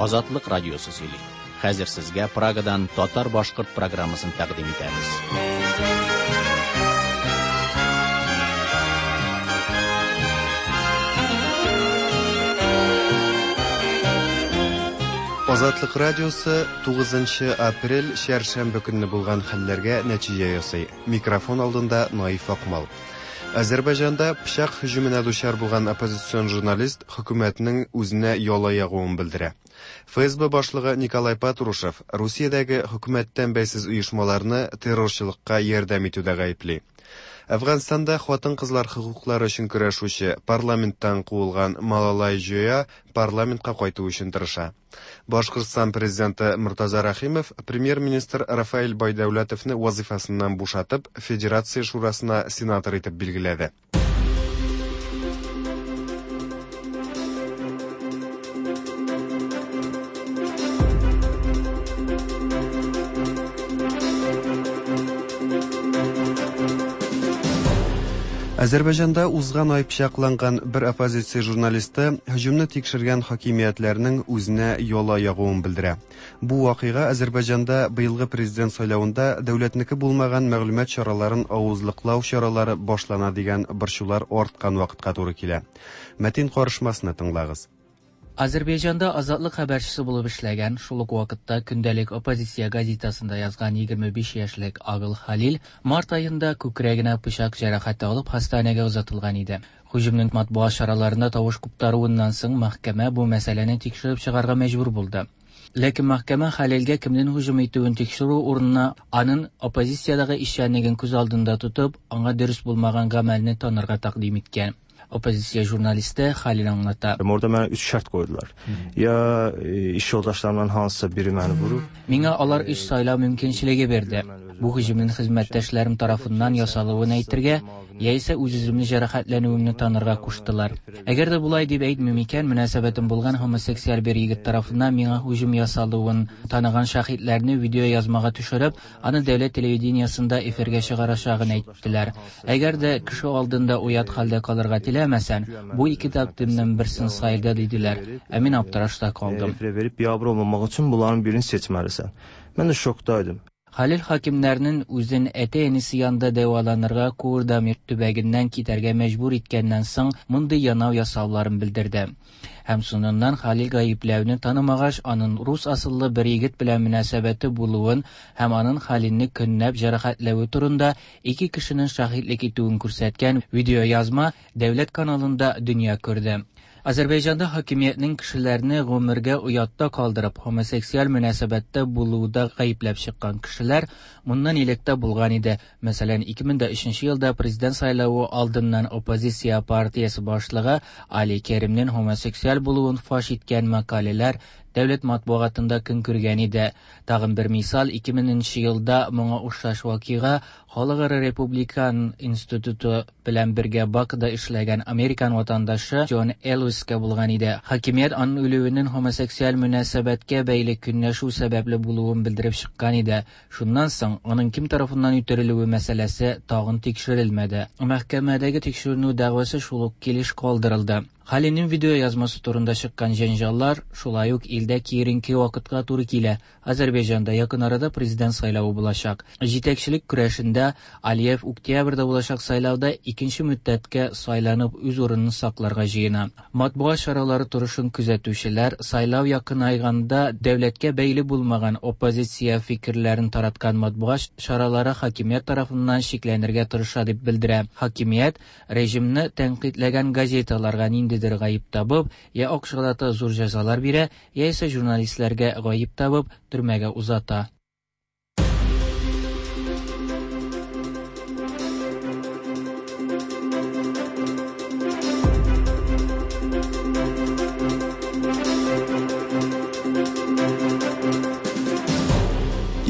Азатлык радиосы сөйли. Хәзер сезгә Прагадан татар-башкорт программасын тәкъдим итәбез. Азатлык радиосы 9 апрель чәршәмбе көнне булган хәлләргә нәтиҗә ясый. Микрофон алдында Наиф Акмал. Азәрбайҗанда пычак һөҗүменә дучар булган оппозицион журналист хөкүмәтнең үзенә яла ягуын белдерә. ФСБ башлыгы Николай Патрушев Русиядәге хөкүмәттән бәйсез оешмаларны террорчылыкка ярдәм итүдә гаепли. Әфганстанда хатын-кызлар хокуклары өчен көрәшүче, парламенттан куылган Малалай Җоя парламентка кайту өчен тырыша. Башкортстан президенты Мортаза Рәхимов премьер-министр Рафаэль Байдәүләтовны вазыйфасыннан бушатып, Федерация шурасына сенатор итеп билгеләде. Азәрбайҗанда узган ай пычакланган бер оппозиция журналисты һөҗүмне тикшергән хакимиятләрнең үзенә яла ягуын белдерә. Бу вакыйга Азәрбайҗанда быелгы президент сайлавында дәүләтнеке булмаган мәгълүмат чараларын авызлыклау чаралары башлана дигән борчулар арткан вакытка туры килә. Мәтин карышмасны тыңлагыз. Азәрбайҗанда Азатлык хәбәрчесе булып эшләгән, шул ук вакытта көндәлек оппозиция газетасында язган 25 яшьлек Агыл Халил март аенда күкрәгенә пычак җәрәхәте алып хастаханәгә озатылган иде. Һөҗүмнең матбугат чараларында тавыш куптаруыннан соң мәхкәмә бу мәсьәләне тикшереп чыгарга мәҗбүр булды. Ләкин мәхкәмә Халилгә кемнең һөҗүм итүен тикшерү урынына аның оппозициядәге эшчәнлеген күз алдында тотып, аңа дөрес булмаган гамәлне танырга тәкъдим иткән. Оппозиция журналисты Халил аңлата. Orada mənə üç şərt qoydular. Ya iş yoldaşlarımdan hansısa biri məni vurub. Миңа алар өч сайлау мөмкинчелеге бирде. Бу һөҗүмнең хезмәттәшләрем тарафыннан ясалуын әйтергә, яисә үз-үземне җәрәхәтләнүемне танырга куштылар. Әгәр дә болай дип әйтмим икән, мөнәсәбәтем булган гомосексуаль бер егет тарафыннан миңа һөҗүм ясалуын таныган шаһитләрне видеоязмага төшереп, аны дәүләт телевидениесендә эфиргә чыгарачагын әйттеләр. Әгәр дә кеше алдында оят хәлдә калырга теләмәсән, бу ике тәкъдимнең берсен сайла диделәр. Ә мин аптырашта калдым. Efirə verib biabır olmamaq üçün bunların birini seçməlisən. Mən də şokdaydım. Халил хакимнәрнең үзен әти-әнисе янында дәваланырга Куырдамир төбәгеннән китәргә мәҗбүр иткәннән соң мондый янау ясауларын белдерде. Һәм соңыннан Халил гаепләүне танымагач, аның рус асыллы бер егет белән мөнәсәбәте булуын һәм аның Халилне көнләп җәрәхәтләве турында ике кешенең шаһитлек итүен күрсәткән видеоязма дәүләт каналында дөнья күрде. Азәрбайҗанда хакимиятнең кешеләрне гомергә оятта калдырып, гомосексуаль мөнәсәбәттә булуда гаепләп чыккан кешеләр моннан элек тә булган иде. Мәсәлән, 2003 елда президент сайлавы алдыннан оппозиция партиясе башлыгы Али Керимнең гомосексуаль булуын фаш иткән мәкаләләр дәүләт матбугатында көн күргән иде. Тагын бер мисал, 2000 елда моңа охшаш вакыйга Халыкара Републикан институты белән бергә Бакуда эшләгән американ ватандашы Джон Элвискә булган иде. Хакимият аның үлүенең гомосексуаль мөнәсәбәткә бәйле көнләшү сәбәпле булуын белдереп чыккан иде. Шуннан соң аның кем тарафыннан үтерелүе мәсьәләсе тагын тикшерелмәде. Мәхкәмәдәге тикшеренү дәгъвасы шул ук килеш калдырылды. Халилнең видео язмасы турында чыккан җәнҗаллар шулай ук илдә киеренке вакытка туры килә. Азәрбайҗанда якын арада президент сайлавы булачак. Җитәкчелек көрәшендә Алиев октябрьдә булачак сайлауда икенче мөддәткә сайланып үз урынын сакларга җыена. Матбугат чаралары торышын күзәтүчеләр сайлау якынайганда дәүләткә бәйле булмаган оппозиция фикерләрен тараткан матбугат чаралары хакимият тарафыннан чикләнергә тырыша дип белдерә. Хакимият режимны тәнкыйтьләгән газеталарга ниндидер гаеп табып, я акчалата зур җәзалар бирә, яисә журналистларга гаеп табып, төрмәгә узата.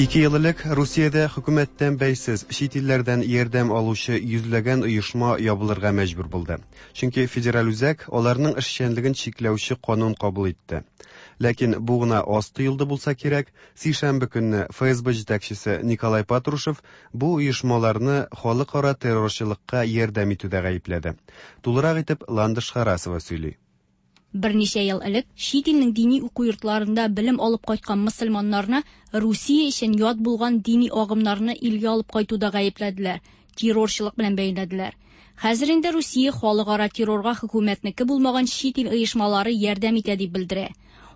Ике ел элек Русиядә хөкүмәттән бәйсез чит илләрдән ярдәм алучы йөзләгән оешма ябылырга мәҗбүр булды. Чөнки федераль үзәк аларның эшчәнлеген чикләүче канун кабул итте. Ләкин бу гына аз тоелды булса кирәк, сишәмбе көнне ФСБ җитәкчесе Николай Патрушев бу оешмаларны халыкара террорчылыкка ярдәм итүдә гаепләде. Тулырак итеп Ландыш Харасова сөйли. Берничә ел элек чит илнең дини уку йортларында белем алып кайткан мөселманнарны Русия өчен ят булган дини агымнарны илгә алып кайтуда гаепләделәр, террорчылык белән бәйләделәр. Хәзер инде Русия халыкара террорга хөкүмәтнеке булмаган чит ил оешмалары ярдәм итә дип белдерә.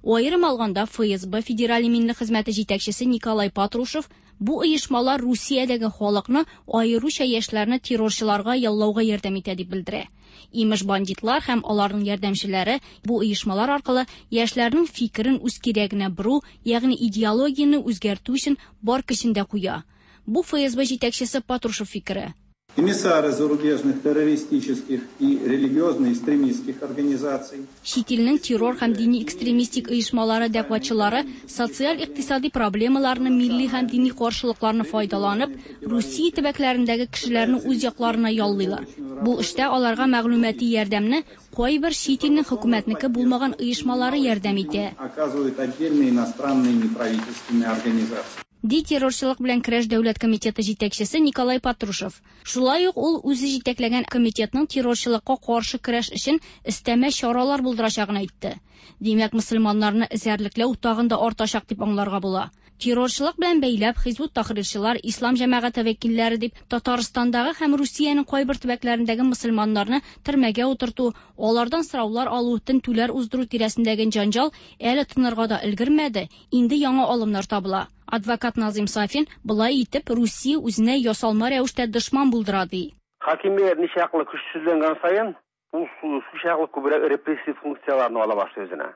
Аерым алганда ФСБ Федераль иминлек хезмәте җитәкчесе Николай Патрушев бу оешмалар Русиядәге халыкны, аеруча яшьләрне террорчыларга яллауга ярдәм итә дип белдерә. Имеш бандитлар һәм аларның ярдәмчеләре бу оешмалар аркылы яшьләрнең фикерен үз кирәгенә бору, ягъни идеологияне үзгәртү өчен бар көчен дә куя. Бу ФСБ җитәкчесе Патрушев фикере. Эмиссары зарубежных террористических и религиозно-экстремистских организаций. Чит илнең террор һәм дини экстремистик оешмалары дәгъватчылары социаль-икътисади проблемаларны, милли һәм дини каршылыкларны файдаланып, Русия төбәкләрендәге кешеләрне үз якларына яллыйлар. Бу эштә аларга мәгълүмати ярдәмне кайбер чит илнең хөкүмәтнеке булмаган оешмалары ярдәм итә. Оказывают отдельные иностранные неправительственные организации. Ди террорчылык белән көрәш дәүләт комитеты җитәкчесе Николай Патрушев. Шулай ук ул үзе җитәкләгән комитетның террорчылыкка каршы көрәш өчен өстәмә чаралар булдырачагын әйтте. Димәк, мөселманнарны эзәрлекләү тагын да артачак дип аңларга була. Террорчылык белән бәйләп Хизбут Тахрирчылар, Ислам җәмәгате вәкилләре дип Татарстандагы һәм Русиянең кайбер төбәкләрендәге мөселманнарны төрмәгә утырту, алардан сораулар алу, тентүләр уздыру тирәсендәге җанҗал әле тынырга да өлгермәде, инде яңа алымнар табыла. Адвокат Назым Сафин былай итеп Русия үзенә ясалма рәвештә дошман булдыра ди. Хакимият ничаклы көчсезләнгән саен, ул шулчаклы күбрәк репрессив функцияләрне ала башлый үзенә.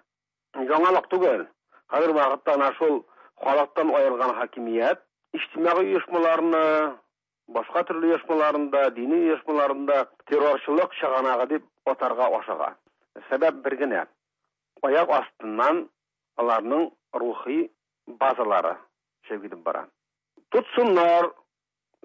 Яңалык түгел. Хәзер вакытта ана шул халыктан аерылган хакимият иҗтимагый оешмаларны, башка төрле оешмаларында, дини оешмаларында террорчылык чыганагы дип атарга ашыга. Сәбәп бер генә. Аяк астыннан аларның рухи базалары төшеп китеп бара. Тотсыннар,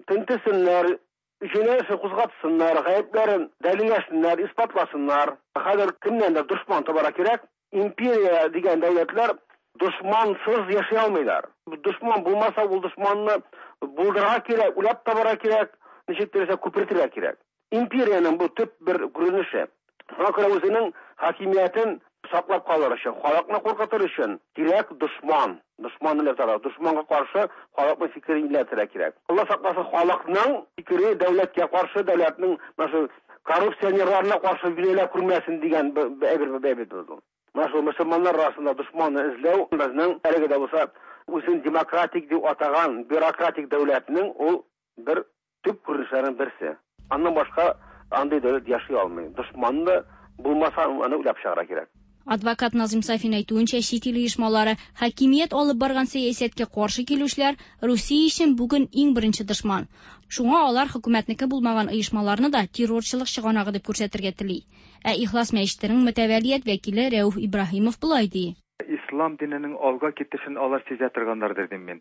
тентесеннәр, җинаять кузгатсыннар, гаепләрен дәлилләсеннәр, исбатласыннар. Хәзер кемнәндер дошман табарга кирәк. Империя дигән дәүләтләр дошмансыз яши алмыйлар. Дошман булмаса, ул дошманны булдырырга кирәк, уйлап табарга кирәк, ничек теләсә күпертергә кирәк. Империянең бу төп бер күренеше. Шуңа күрә үзенең хакимиятен саклап калыр өчен, халыкны куркытыр өчен кирәк дошман. Дошман иләтергә, дошманга каршы халыкның фикерен иләтергә кирәк. Алла сакласын, халыкның фикере дәүләткә каршы, дәүләтнең менә шул коррупционерларына каршы юнәлә күрмәсен дигән әйбер әйбер булды. Менә шул мөселманнар арасында дошманны эзләү безнең әлеге дә булса үзен демократик дип атаган бюрократик дәүләтнең ул бер төп күренешләренең берсе. Аннан башка андый дәүләт яши алмый. Дошманны булмаса, аны уйлап чыгарырга кирәк. Адвокат Назым Сафин әйтүенчә, чит ил оешмалары хакимият алып барган сәясәткә каршы килүчеләр Русия өчен бүген иң беренче дошман. Шуңа алар хөкүмәтнеке булмаган оешмаларны да террорчылык чыганагы дип күрсәтергә тели. Ә Ихлас мәчетенең мөтәвәлият вәкиле Рәүф Ибраһимов болай ди. Ислам диненең алга китешен алар сизә торганнардыр дим мин.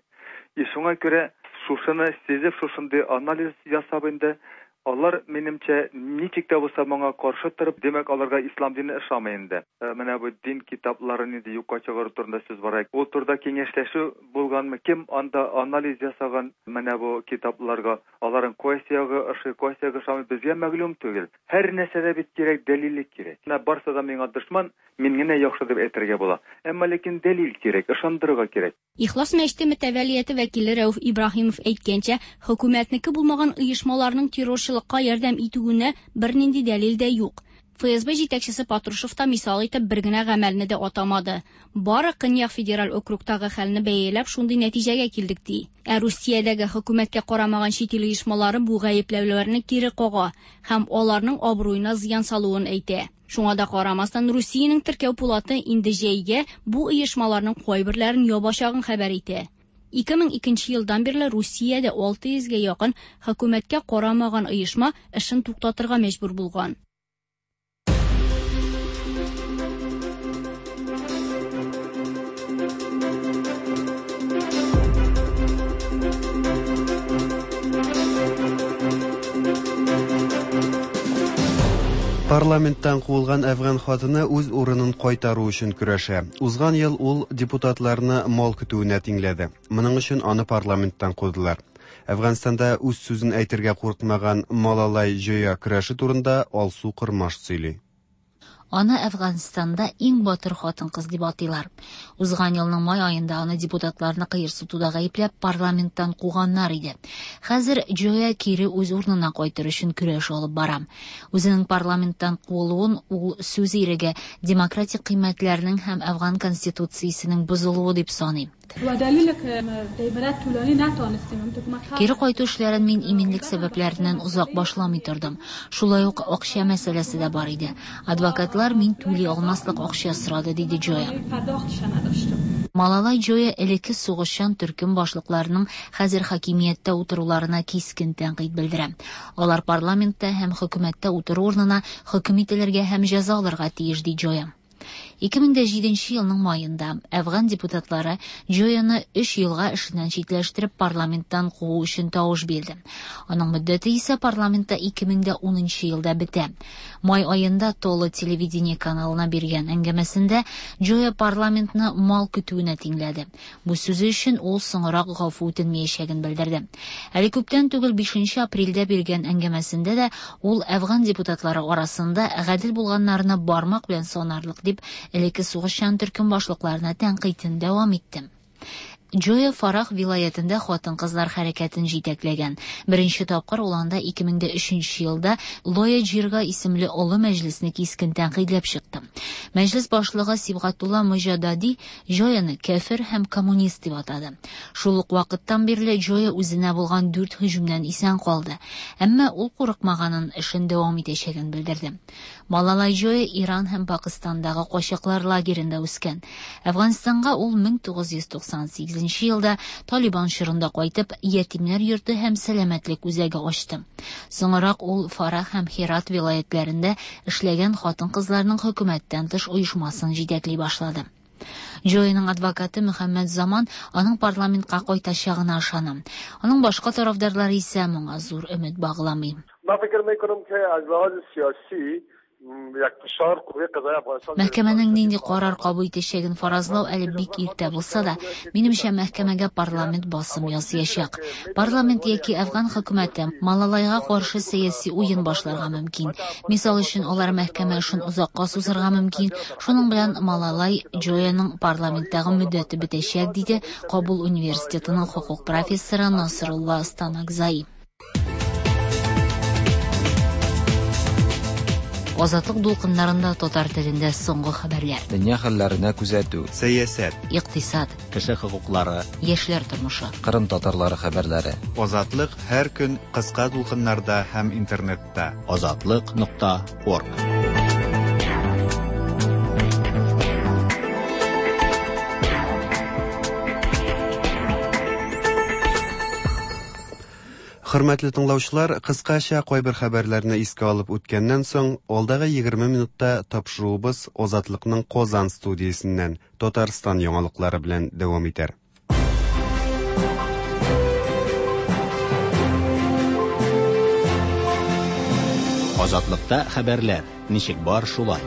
И шуңа күрә шушыны сизеп, шушындый анализ ясап инде, алар минемчә ничек тә булса моңа каршы торып, димәк, аларга ислам дине ошамый инде. Менә бу дин китапларын инде юкка чыгару турында сүз бара. Ул турыда киңәшләшү булганмы? Кем анда анализ ясаган менә бу китапларга? Аларның кайсы ягы ошый, кайсы ягы ошамый, безгә мәгълүм түгел. Һәр нәрсәдә бит кирәк, дәлиллек кирәк. Менә барсы да миңа дошман, мин генә яхшы дип әйтергә була. Әмма ләкин дәлил кирәк, ышандырырга кирәк. Ихлас мәчете мөтәвәлияте вәкиле Рәүф Ибраһимов әйткәнчә, хөкүмәтнеке булмаган оешмаларның террорчылыкка ярдәм итүенә бернинди дәлил дә юк. ФСБ җитәкчесе Патрушев та мисал итеп бер генә гамәлне дә атамады. Бары Көньяк федераль округтагы хәлне бәяләп шундый нәтиҗәгә килдек ди. Ә Русиядәге хөкүмәткә карамаган чит ил оешмалары бу гаепләүләрне кире кага һәм аларның абруена зыян салуын әйтә. Шуңа да карамастан, Русиянең теркәү пулаты инде җәйгә бу оешмаларның кайберләрен ябачагын хәбәр итә. 2002 елдан бирле Русиядә 600гә якын хөкүмәткә карамаган оешма эшен туктатырга мәҗбүр булган. Парламенттан куылган әфган хатыны үз урынын кайтару өчен көрәшә. Узган ел ул депутатларны мал көтүенә тиңләде. Моның өчен аны парламенттан кудылар. Әфганстанда үз сүзен әйтергә курыкмаган Малалай Җоя көрәше турында Алсу Кормаш сөйли. Аны Әфганстанда иң батыр хатын-кыз дип атыйлар. Узган елның май аенда аны депутатларны кыерсытуда гаепләп парламенттан куганнар иде. Хәзер Джоя кире үз урынына кайтыр өчен көрәш алып бара. Үзенең парламенттан куылуын ул сүз иреге, демократик кыйммәтләрнең һәм Әфган конституциясенең бозылуы дип саный. Кире кайту эшләрен мин иминлек сәбәпләреннән озак башламый тордым. Шулай ук акча мәсьәләсе дә бар иде. Адвокатлар мин түли алмаслык акча сорады, диде Джоя. Малалай Джоя элекке сугышчан төркем башлыкларының хәзер хакимияттә утыруларына кискен тәнкыйть белдерә. Алар парламентта һәм хөкүмәттә утыру урынына хөкем ителергә һәм җәза алырга тиеш, ди Джоя. 2007 елның маенда Әфган депутатлары Джояны 3 елга эшеннән читләштереп парламенттан куу өчен тавыш бирде. Аның мөддәте исә парламентта 2010 елда бетә. Май аенда Толы телевидение каналына биргән әңгәмәсендә Джоя парламентны мал көтүенә тиңләде. Бу сүзе өчен ул соңрак гафу үтенмәячәген белдерде. Әле күптән түгел 5 апрельдә биргән әңгәмәсендә дә ул Әфган депутатлары арасында гадел булганнарны бармак белән санарлык дип элекке сугышчан төркем башлыкларына тәнкыйтен дәвам итте. Джоя Фарах вилаятендә хатын-кызлар хәрәкәтен җитәкләгән. Беренче тапкыр ул анда 2003 елда Лоя Джирга исемле олы мәҗлесне кискен тәнкыйтьләп чыкты. Мәҗлес башлыгы Сибгатулла Мөҗадади Джояны кәфер һәм коммунист дип атады. Шул ук вакыттан бирле Джоя үзенә булган 4 һөҗүмнән исән калды. Әмма ул курыкмаганын, эшен дәвам итәчәген белдерде. Малалай Джоя Иран һәм Пакистандагы качаклар лагеренда үскән. Әфганстанга ул 1998 елда Талибан чорында кайтып, ятимнәр йорты һәм сәламәтлек үзәге ачты. Соңрак ул Фарах һәм Херат вилаятләрендә эшләгән хатын-кызларның хөкүмәттән тыш оешмасын җитәкли башлады. Джояның адвокаты Мөхәммәд Заман аның парламентка кайтачагына ышана. Аның башка тарафдарлары исә моңа зур өмет багламый. Мәхкәмәнең нинди карар кабул итәчәген фаразлау әле бик иртә булса да, минемчә, мәхкәмәгә парламент басым ясаячак. Парламент яки Әфган хөкүмәте Малалайга каршы сәяси уен башларга мөмкин. Мисал өчен, алар мәхкәмә эшен озакка сузырга мөмкин. Шуның белән Малалай Джояның парламенттагы мөддәте бетәчәк, диде Кабул университетының хокук профессоры Насрулла Станакзай. Азатлык дулкыннарында татар телендә соңгы хәбәрләр. Дөнья хәлләренә күзәтү. Сәясәт. Икътисад. Кеше хокуклары. Яшьләр тормышы. Кырым татарлары хәбәрләре. Азатлык һәр көн кыска дулкыннарда һәм интернетта. Азатлык.орг. Хөрмәтле тыңлаучылар, кыскача кайбер хәбәрләрне искә алып үткәннән соң, алдагы 20 минутта тапшыруыбыз Азатлыкның Казан студиясеннән Татарстан яңалыклары белән дәвам итәр. Азатлыкта хәбәрләр ничек бар шулай.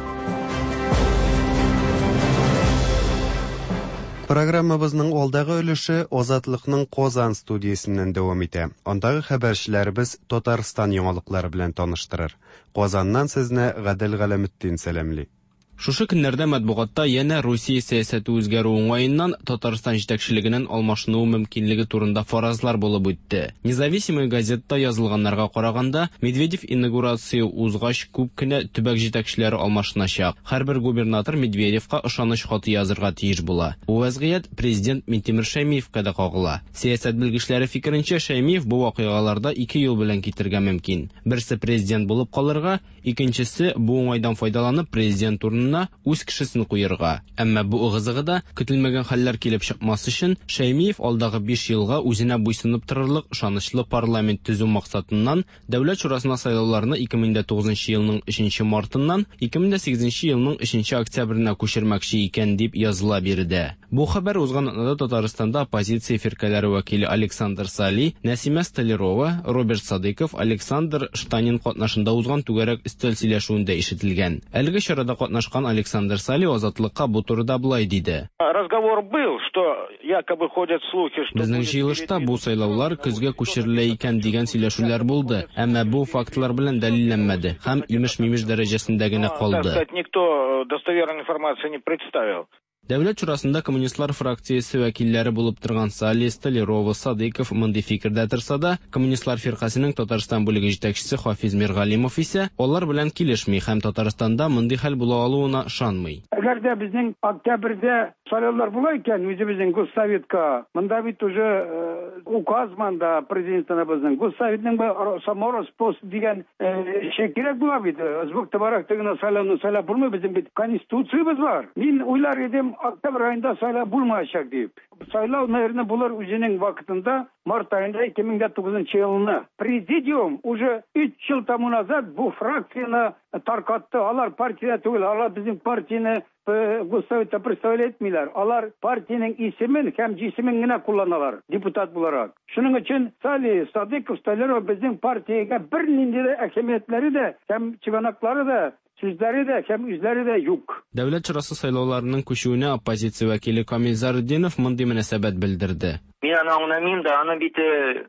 Программабызның алдагы өлеше Азатлыкның Казан студиясеннән дәвам итә. Андагы хәбәрчеләребез Татарстан яңалыклары белән таныштырыр. Казаннан сезне Гадел Галәметдин сәламли. Шушы көннәрдә матбугатта янә Русия сәясәте үзгәрү уңаеннан Татарстан җитәкчелегенең алмашынуы мөмкинлеге турында фаразлар булып үтте. Независимая газетта язылганнарга караганда, Медведев инаугурация узгач күп кенә төбәк җитәкчеләре алмашыначак. Һәрбер губернатор Медведевка ышаныч хаты язырга тиеш була. Бу вазгыять президент Минтимер Шәймиевка да кагыла. Сәясәт белгечләре фикеренчә, Шәймиев бу вакыйгаларда ике юл белән китергә мөмкин. Берсе президент булып калырга, икенчесе бу уңайдан файдаланып президент урынына үз кешесен куярга. Әмма бу ыгы-зыгыда көтелмәгән хәлләр килеп чыкмас өчен Шәймиев алдагы 5 елга үзенә буйсынып торырлык ышанычлы парламент төзү максатыннан Дәүләт шурасына сайлауларны 2009 елның 3 мартыннан 2008 елның 3 октябренә күчермәкче икән дип языла биредә. Бу хәбәр узган атнада Татарстанда оппозиция фиркәләре вәкиле Александр Сали, Нәсимә Столярова, Роберт Садыйков, Александр Штанин катнашында узган түгәрәк өстәл сөйләшүендә ишетелгән. Әлеге чарада катнашкан танышкан Александр Сали Азатлыкка бу турыда болай диде. Разговор был, что якобы ходят слухи, что Безнең җыелышта бу сайлаулар көзгә күчерелә икән дигән сөйләшүләр булды, әмма бу фактлар белән дәлилләнмәде һәм имеш-мимеш дәрәҗәсендә генә калды. Так сказать, никто достоверной информации не представил. Дәүләт шурасында коммунистлар фракциясе вәкилләре булып торган Сали, Столярова, Садыйков мондый фикердә торса да, Коммунистлар фиркасенең Татарстан бүлеге җитәкчесе Хафиз Миргалимов исә алар белән килешми һәм Татарстанда мондый хәл була алуына ышанмый. Әгәр дә безнең октябрьдә сайлаулар була икән, үзебезнең Госсоветка, монда бит уже указ монда президентыбызның, Госсоветның самороспуск дигән эше кирәк була бит. Сбок товарах гына сайлауны сайлап булмый, безнең бит конституциябез бар. Мин уйлар идем, октябрь аенда сайлау булмаячак дип. Сайлау, наверное, булыр үзенең вакытында, март аенда 2009 елны. Президиум уже 3 ел тому назад бу фракцияне таркатты. Алар партия түгел, алар безнең партияне Госсоветта представлять итмиләр. Алар партиянең исемен һәм җисемен генә кулланалар депутат буларак. Шуның өчен Сали, Садыков, Столяров безнең партиягә бернинди дә әһәмиятләре дә һәм чыганаклары да, сүзләре дә һәм үзләре дә юк. Дәүләт шурасы сайлауларының күчүенә оппозиция вәкиле Камил Заретдинов мондый мөнәсәбәт белдерде. Мин аны аңламыйм да, аны бит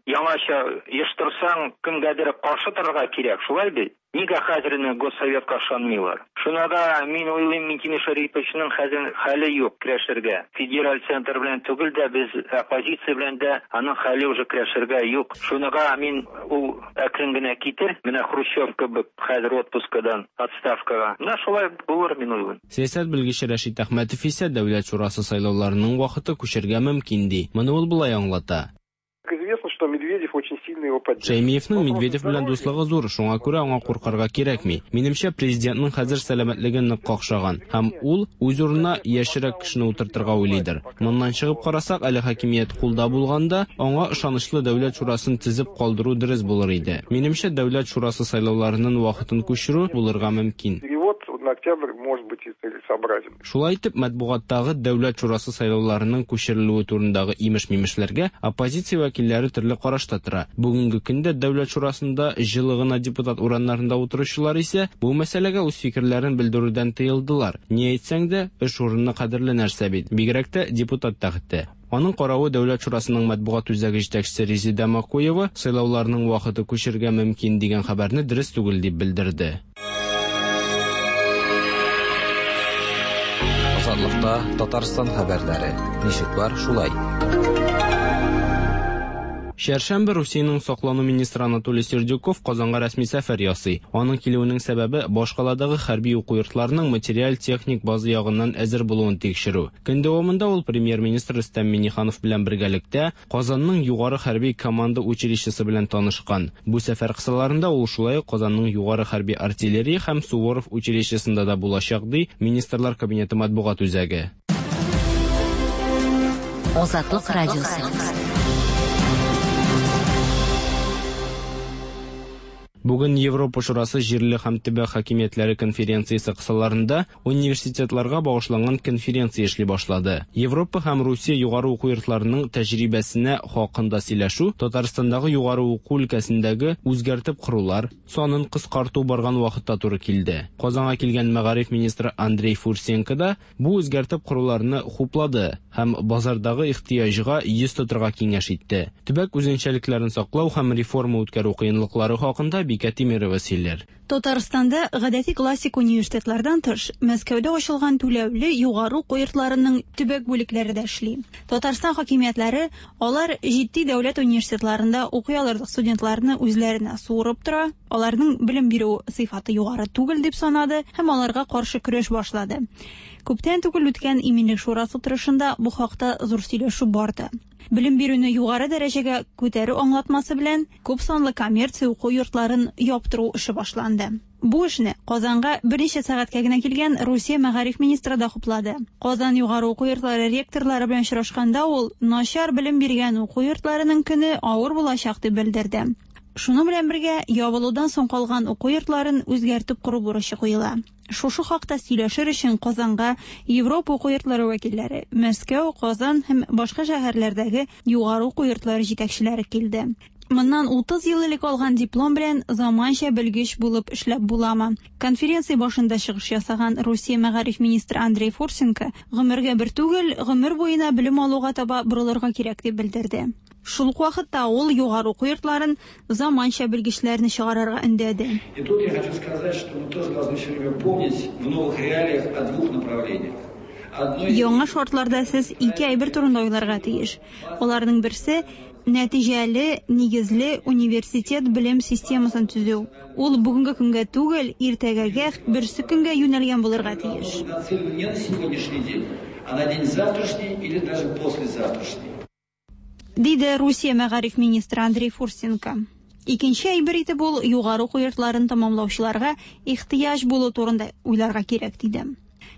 яңача оештырсаң, кемгәдер каршы торырга кирәк, шулай бит? Нигә хәзер Госсоветка ышанмыйлар? Шуна да мин уйлыйм, Минтимер Шәриповичның хәзер хәле юк көрәшергә. Федераль центр белән түгел дә, без оппозиция белән дә аның хәле уже көрәшергә юк. Шунага мин ул әкрен генә китер, менә Хрущев кебек хәзер отпускадан отставкага. Менә шулай булыр мин уйлыйм. Сәясәт белгече Рәшит Әхмәтов исә Дәүләт шурасы сайлауларының вакыты күчергә мөмкин ди. Моны ул болай аңлата. Известно, что Медведев очень сильно его поддерживает. Шәймиевнең Медведев белән дуслыгы зур, шуңа күрә аңа куркырга кирәкми. Минемчә, президентның хәзер сәламәтлеге нык какшаган һәм ул үз урынына яшьрәк кешене утыртырга уйлыйдыр. Моннан чыгып карасак, әле хакимият кулда булганда, аңа ышанычлы Дәүләт шурасын төзеп калдыру дөрес булыр иде. Минемчә, Дәүләт шурасы сайлауларының вакытын күчерү булырга мөмкин. Перевод на октябрь может быть и целесообразен. Шулай итеп, матбугаттагы Дәүләт шурасы сайлауларының күчерелүе турындагы имеш-мимешләргә оппозиция вәкилләре төрле карашта тора. Бүгенге көндә Дәүләт шурасында җылы гына депутат урыннарында утыручылар исә бу мәсьәләгә үз фикерләрен белдерүдән тыелдылар. Ни әйтсәң дә, эш урыны кадерле нәрсә бит, бигрәк тә депутат тәхете. Аның каравы Дәүләт шурасының матбугат үзәге җитәкчесе Резеда Макуева сайлауларның вакыты күчергә мөмкин дигән хәбәрне дөрес түгел дип белдерде. Азатлыкта Татарстан хәбәрләре. Ничек бар, шулай. Чәршәмбе Русиянең саклану министры Анатолий Сердюков Казанга рәсми сәфәр ясый. Аның килүенең сәбәбе башкаладагы хәрби уку йортларының материаль-техник база ягыннан әзер булуын тикшерү. Көн дәвамында ул премьер-министр Рөстәм Миңнеханов белән бергәлектә Казанның югары хәрби команда училищесы белән танышкан. Бу сәфәр кысаларында ул шулай ук Казанның югары хәрби артиллерия һәм Суворов училищесында да булачак, ди Министрлар Кабинеты матбугат үзәге. Азатлык радиосы. Бүген Европа Шурасы җирле һәм төбәк хакимиятләре конференциясе кысаларында университетларга багышланган конференция эшли башлады. Европа һәм Русия югары уку йортларының тәҗрибәсенә хакында сөйләшү Татарстандагы югары уку өлкәсендәге үзгәртеп корулар санын кыскарту барган вакытта туры килде. Казанга килгән мәгариф министры Андрей Фурсенко да бу үзгәртеп коруларны хуплады һәм базардагы ихтыяҗга йөз тотырга киңәш итте. Төбәк үзенчәлекләрен саклау һәм реформа үткәрү кыенлыклары хакында Бикә Тимирова сөйләр. Татарстанда гадәти классик университетлардан тыш, Мәскәүдә ачылган түләүле югары уку йортларының төбәк бүлекләре дә эшли. Татарстан хакимиятләре алар җитди дәүләт университетларында укый алырлык студентларны үзләренә суырып тора, аларның белем бирү сыйфаты югары түгел дип санады һәм аларга каршы көрәш башлады. Күптән түгел үткән Иминлек шурасы утырышында бу хакта зур сөйләшү барды. Белем бирүне югары дәрәҗәгә күтәрү аңлатмасы белән күп санлы коммерция уку йортларын яптыру эше башланды. Бу эшне Казанга берничә сәгатькә генә килгән Русия мәгариф министры да хуплады. Казан югары уку йортлары ректорлары белән очрашканда ул начар белем биргән уку йортларының көне авыр булачак дип белдерде. Шуның белән бергә ябылудан соң калган уку йортларын үзгәртеп кору бурычы куела. Шушы хакта сөйләшер өчен Казанга Европа уку йортлары вәкилләре, Мәскәү, Казан һәм башка шәһәрләрдәге югары уку йортлары җитәкчеләре килде. Моннан 30 ел элек алган диплом белән заманча белгеч булып эшләп буламы? Конференция башында чыгыш ясаган Русия мәгариф министры Андрей Фурсенко гомергә бер түгел, гомер буена белем алуга таба борылырга кирәк дип белдерде. Шул ук вакытта ул югары уку йортларын заманча белгечләрне чыгарырга өндәде. И тут я хочу сказать, что мы тоже должны все время помнить в новых реалиях о двух направлениях. Яңа шартларда сез ике әйбер турында уйларга тиеш. Аларның берсе нәтиҗәле, нигезле университет белем системасын төзү. Ул бүгенге көнгә түгел, иртәгәгә, берсе көнгә юнәлгән булырга тиеш. Нацелена не на сегодняшний день, а на день завтрашний или даже послезавтрашний. Диде Русия мәгариф министры Андрей Фурсенко. Икенче әйбер итеп ул югары уку йортларын тәмамлаучыларга ихтыяҗ булу турында уйларга кирәк диде.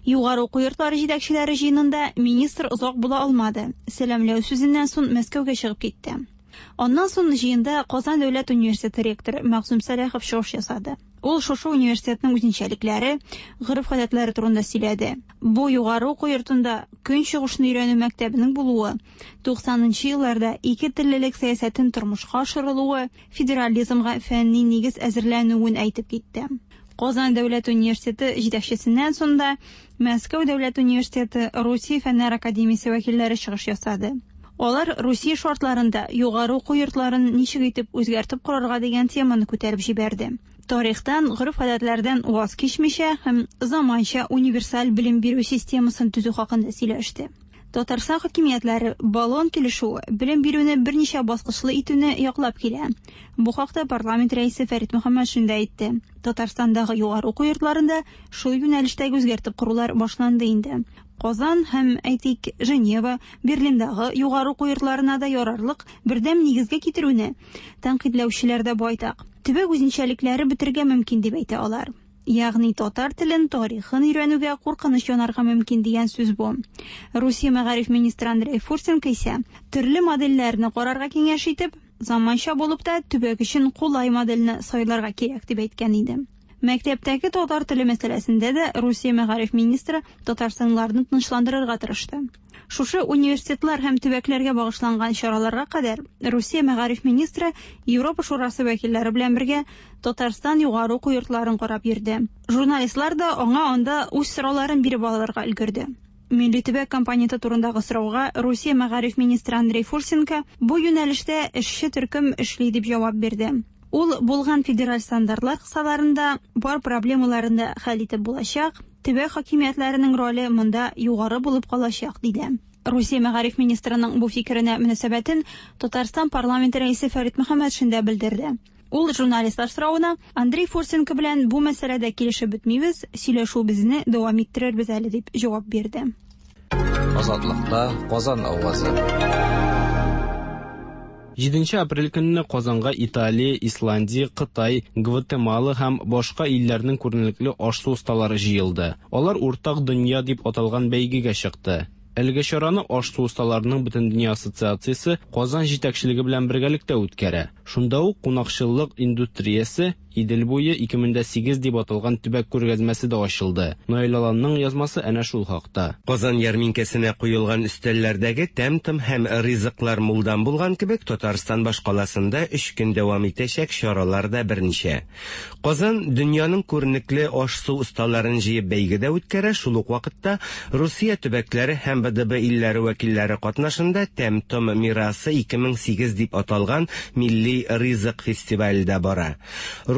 Югары уку йортлары җитәкчеләре җыенында министр озак була алмады. Сәламләү сүзеннән соң Мәскәүгә чыгып китте. Аннан соң җыенда Казан дәүләт университеты ректоры Мәгъсүм Сәлахов чыгыш ясады. Ул шушы университетның үзенчәлекләре, гореф-гадәтләре турында сөйләде. Бу югары уку йортында Көнчыгышны өйрәнү мәктәбенең булуы, 90нчы елларда ике теллелек сәясәтен тормышка ашырылуы, федерализмга фәнни нигез әзерләнүен әйтеп китте. Казан дәүләт университеты җитәкчесеннән соң да Мәскәү дәүләт университеты, Русия фәннәр академиясе вәкилләре чыгыш ясады. Алар Русия шартларында югары уку йортларын ничек итеп үзгәртеп корырга дигән теманы күтәреп җибәрде. Тарихтан, гореф-гадәтләрдән ваз кичмичә һәм заманча универсаль белем бирү системасын төзү хакында сөйләште. Татарстан хакимиятләре Болон килешүе белем бирүне берничә баскычлы итүне яклап килә. Бу хакта парламент рәисе Фәрит Мөхәммәтшин дә әйтте. Татарстандагы югары уку йортларында шул юнәлештәге үзгәртеп корулар башланды инде. Казан һәм, әйтик, Женева, Берлиндагы югары уку йортларына да ярарлык бердәм нигезгә китерүне тәнкыйтьләүчеләр дә байтак. Төбәк үзенчәлекләре бетергә мөмкин дип әйтә алар. Ягъни татар телен, тарихын өйрәнүгә куркыныч янарга мөмкин дигән сүз бу. Русия мәгариф министры Андрей Фурсенко исә төрле модельләрне карарга киңәш итеп, заманча булып та төбәк өчен кулай модельне сайларга кирәк дип әйткән иде. Мәктәптәге татар теле мәсьәләсендә дә Русия мәгариф министры татарстанлыларны тынычландырырга тырышты. Шушы университетлар һәм төбәкләргә багышланган чараларга кадәр Русия мәгариф министры Европа Шурасы вәкилләре белән бергә Татарстан югары уку йортларын карап йөрде. Журналистлар да аңа анда үз сорауларын биреп алырга өлгерде. Милли төбәк компоненты турындагы сорауга Русия мәгариф министры Андрей Фурсенко бу юнәлештә эшче төркем эшли дип җавап бирде. Ул булган федераль стандартлар кысаларында бар проблемаларын да хәл итеп булачак, төбәк хакимиятләренең роле монда югары булып калачак, диде. Русия мәгариф министрының бу фикеренә мөнәсәбәтен Татарстан парламенты рәисе Фәрит Мөхәммәтшин дә белдерде. Ул журналистлар соравына Андрей Фурсенко белән бу мәсьәләдә килешеп бетмибез, сөйләшүебезне дәвам иттерербез әле дип җавап бирде. Азатлыкта Казан авазы. 7 апрель көнне Казанга Италия, Исландия, Кытай, Гватемала һәм башка илләрнең күренекле аш-су осталары җыелды. Алар Уртак дөнья дип аталган бәйгегә чыкты. Әлеге чараны аш-су осталарының Бөтендөнья ассоциациясе Казан җитәкчелеге белән бергәлектә үткәрә. Шунда ук кунакчыллык индустриясе Идел буе 2008 дип аталган төбәк күргәзмәсе дә ачылды. Наил Аланның язмасы әнә шул хакта. Казан ярминкәсенә куелган өстәлләрдәге тәм-том һәм ризыклар мулдан булган кебек, Татарстан башкаласында өч көн дәвам итәчәк чаралар да берничә. Казан дөньяның күренекле аш-су осталарын җыеп бәйге дә үткәрә, шул ук вакытта Русия төбәкләре һәм БДБ илләре вәкилләре катнашында Тәм-том мирасы 2008 дип аталган милли ризык фестивале дә бара.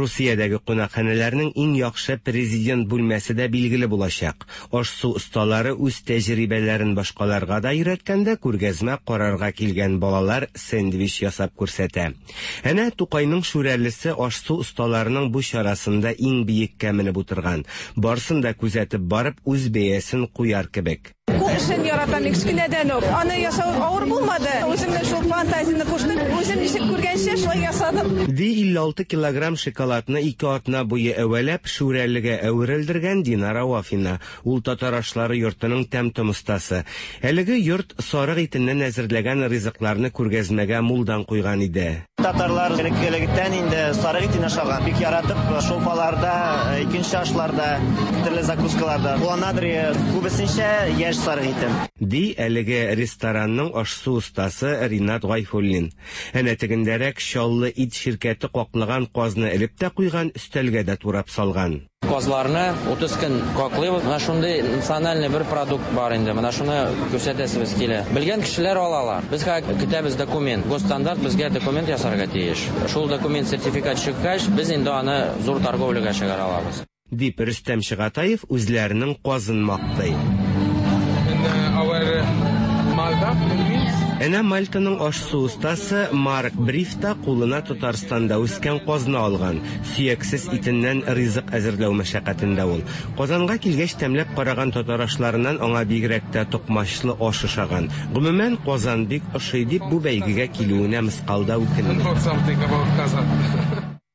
Русиядәге кунакханәләрнең иң яхшы президент бүлмәсе дә билгеле булачак. Аш-су осталары үз тәҗрибәләрен башкаларга да өйрәткәндә күргәзмә карарга килгән балалар сэндвич ясап күрсәтә. Әнә Тукайның Шүрәлесе аш-су осталарының бу чарасында иң биеккә менеп утырган. Барсын да күзәтеп барып, үз бәясен куяр кебек. Кул эшен яратам мин кечкенәдән үк. Аны ясау авыр булмады. Үземнең шул фантазияне куштым. Үзем ничек күргәнчә, шулай ясадым. Ди 56 килограмм шоколадны ике атна буе әвәләп, Шүрәлегә әверелдергән Динара Вафина. Ул татар ашлары йортының тәм-том остасы. Әлеге йорт сарык итеннән әзерләгән ризыкларны күргәзмәгә мулдан куйган иде. Татарлар элек-электән инде сарык итен ашаган. Бик яратып шулпаларда, икенче ашларда, төрле закускаларда кулланадыр, күбесенчә яшь сарык итен. Ди әлеге ресторанның аш-су остасы Ринат Гайфуллин. Әнә тегендәрәк Чаллы ит ширкәте каклаган казны элеп тә куйган, өстәлгә дә турап салган. Казларны 30 көн каклыйбыз. Менә шундый национальный бер продукт бар инде. Менә шуны күрсәтәсебез килә. Белгән кешеләр алалар. Без хәзер көтәбез документ. Госстандарт безгә документ ясарга тиеш. Шул документ сертификат чыккач, без инде аны зур торговляга чыгара алабыз. Дип Рөстәм Чыгатаев үзләренең казын мактый. Әнә Мальтаның аш-су остасы Марк Бриф та кулына Татарстанда үскән казны алган. Сөяксез итеннән ризык әзерләү мәшәкатендә ул. Казанга килгәч тәмләп караган татар ашларыннан аңа бигрәк тә токмачлы аш ошаган. Гомумән, Казан бик ошый дип бу бәйгегә килүенә мыскал да үкенми.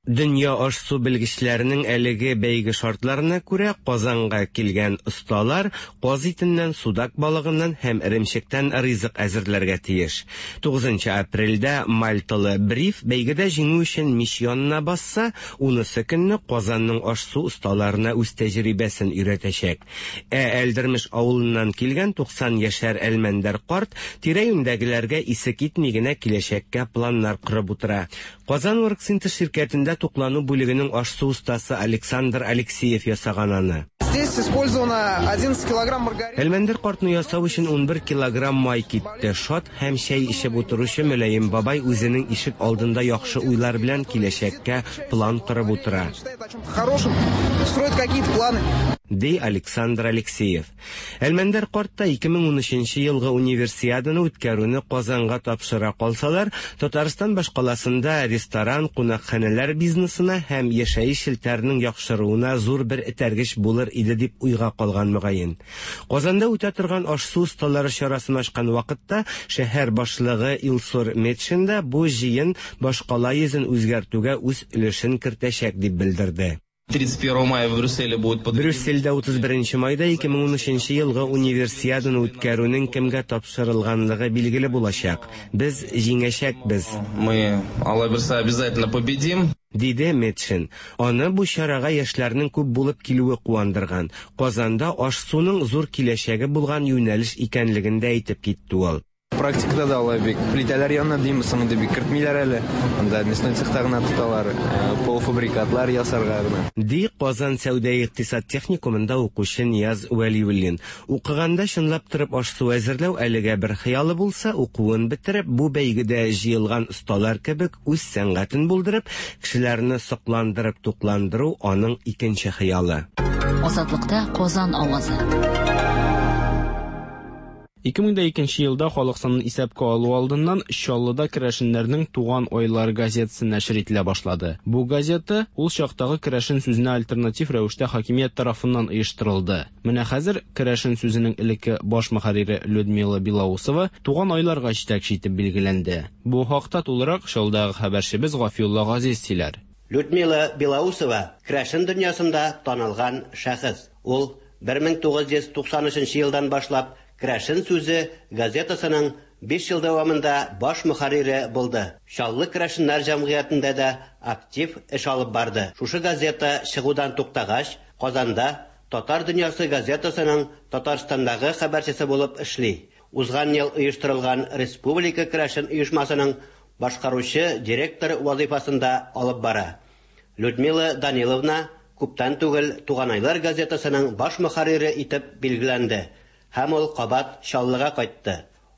Дөнья аш-су белгечләренең әлеге бәйге шартларына күрә, Казанга килгән осталар каз итеннән, судак балыгыннан һәм эремчектән ризык әзерләргә тиеш. Тугызынчы апрельдә мальталы Бриф бәйгедә җиңү өчен мич янына басса, унысы көнне Казанның аш-су осталарына үз тәҗрибәсен өйрәтәчәк. Ә Әлдермеш авылыннан килгән 90 яшәр Әлмәндәр карт тирә-юньдәгеләргә исе китми генә киләчәккә планнар корып утыра. Казан Оргсинтез ширкәтендә туклану бүлегенең аш-су остасы Александр Алексеев ясаган аны. Здесь использовано 11 килограмм маргарина. Әлмәндәр картны ясау өчен 11 килограмм май китте. Шат һәм чәй эчеп утыручы мөлаем бабай үзенең ишек алдында яхшы уйлар белән киләчәккә план корып утыра. Хорошим, строит какие-то планы. Ди Александр Алексеев. Әлмәндәр карт та 2013 елгы Универсиаданы үткәрүне Казанга тапшыра калсалар, Татарстан башкаласында ресторан, кунакханәләр бизнесына һәм яшәеш челтәренең яхшыруына зур бер этәргеч булыр иде дип уйга калган мөгаен. Казанда үтә торган аш-су осталары чарасын ачкан вакытта шәһәр башлыгы Илсур Метшин да бу җыен башкала йөзен үзгәртүгә үз өлешен кертәчәк дип белдерде. 31 мая в Брюсселе будет Брюссельдә 31 майда 2013 елгы Универсиаданы үткәрүнең кемгә тапшырылганлыгы билгеле булачак. Без җиңәчәкбез. Мы, Алла бирса, обязательно победим. Диде Метшин. Аны бу чарага яшьләрнең күп булып килүе куандырган. Казанда аш-суның зур киләчәге булган юнәлеш икәнлеген дә әйтеп китте ул. Практикада да алай бик плитәләр янына димме соң инде бик кертмиләр әле. Анда мясной цехта гына тоталар, полуфабрикатлар ясарга гына. Ди Казан сәүдә-икътисад техникумында укучы Нияз Вәлиуллин. Укыганда чынлап торып аш-су әзерләү әлегә бер хыялы булса, укуын бетереп, бу бәйгедә җыелган осталар кебек үз сәнгатен булдырып, кешеләрне сокландырып тукландыру аның икенче хыялы. Азатлыкта Казан авазы. 2002 елда халык санын исәпкә алу алдыннан Чаллыда керәшеннәрнең Туган айлар газетасы нәшер ителә башлады. Бу газета ул чактагы керәшен сүзенә альтернатив рәвештә хакимият тарафыннан оештырылды. Менә хәзер керәшен сүзенең элекке баш мөхәррире Людмила Белоусова Туган айларга җитәкче итеп билгеләнде. Бу хакта тулырак Чаллыдагы хәбәрчебез Гафиулла Газиз сөйләр. Людмила Белоусова керәшен дөньясында танылган шәхес. Ул 1993 елдан башлап Керәшен сүзе газетасының 5 ел дәвамында баш мөхәррире булды. Чаллы керәшеннәр җәмгыятендә дә актив эш алып барды. Шушы газета чыгудан туктагач, Казанда Татар дөньясы газетасының Татарстандагы хәбәрчесе булып эшли. Узган ел оештырылган Республика керәшен оешмасының башкаручы директор вазыйфасын да алып бара. Людмила Даниловна күптән түгел Туганайлар газетасының баш мөхәррире итеп билгеләнде. Һәм ул кабат Чаллыга кайтты.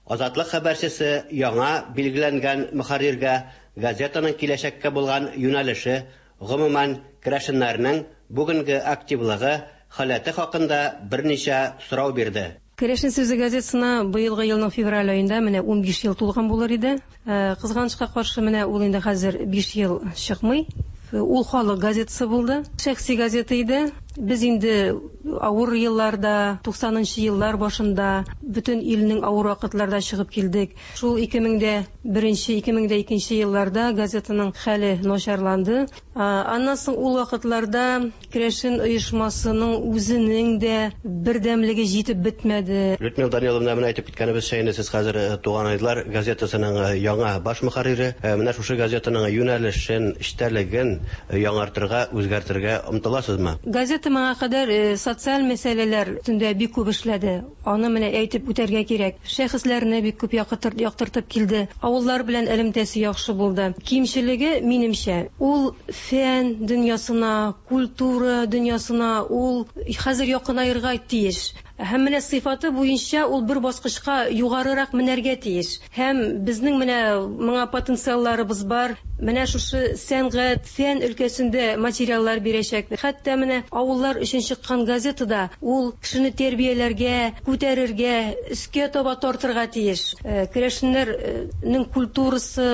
Азатлык хәбәрчесе яңа билгеләнгән мөхәрриргә газетаның киләчәккә булган юнәлеше, гомумән, керәшеннәрнең бүгенге активлыгы, халәте хакында берничә сорау бирде. Керәшен сүзе газетасына быелгы елның февраль аенда менә 15 ел тулган булыр иде. Кызганычка каршы, менә ул инде хәзер 5 ел чыкмый. Ул халык газетасы булды, шәхси газета иде. Без инде авыр елларда, 90 еллар башында, бөтен илнең авыр вакытларда чыгып килдек. Шул 2001, 2002 елларда газетаның хәле начарланды. Аннан соң ул вакытларда керәшен оешмасының үзенең дә бердәмлеге җитеп бетмәде. Людмила Даниловна, менә әйтеп киткәнебезчә, инде сез хәзер Туганайлар газетасының яңа баш мөхәррире. Менә шушы газетаның юнәлешен, эчтәлеген яңартырга, үзгәртергә омтыласызмы? Газета моңа кадәр социаль мәсьәләләр өстендә бик күп эшләде. Аны менә әйтеп үтәргә кирәк. Шәхесләрне бик күп яктыртып килде. Авыллар белән элемтәсе яхшы булды. Кимчелеге, минемчә, ул фән дөньясына, культура дөньясына ул хәзер якынаерга тиеш. Һәм менә сыйфаты буенча ул бер баскычка югарырак менәргә тиеш. Һәм безнең менә моңа потенциалларыбыз бар. Менә шушы сәнгать, фән өлкәсендә материаллар бирәчәк. Хәтта менә авыллар өчен чыккан газетада ул кешене тәрбияләргә, күтәрергә, өскә таба тартырга тиеш. Керәшеннәрнең культурасы,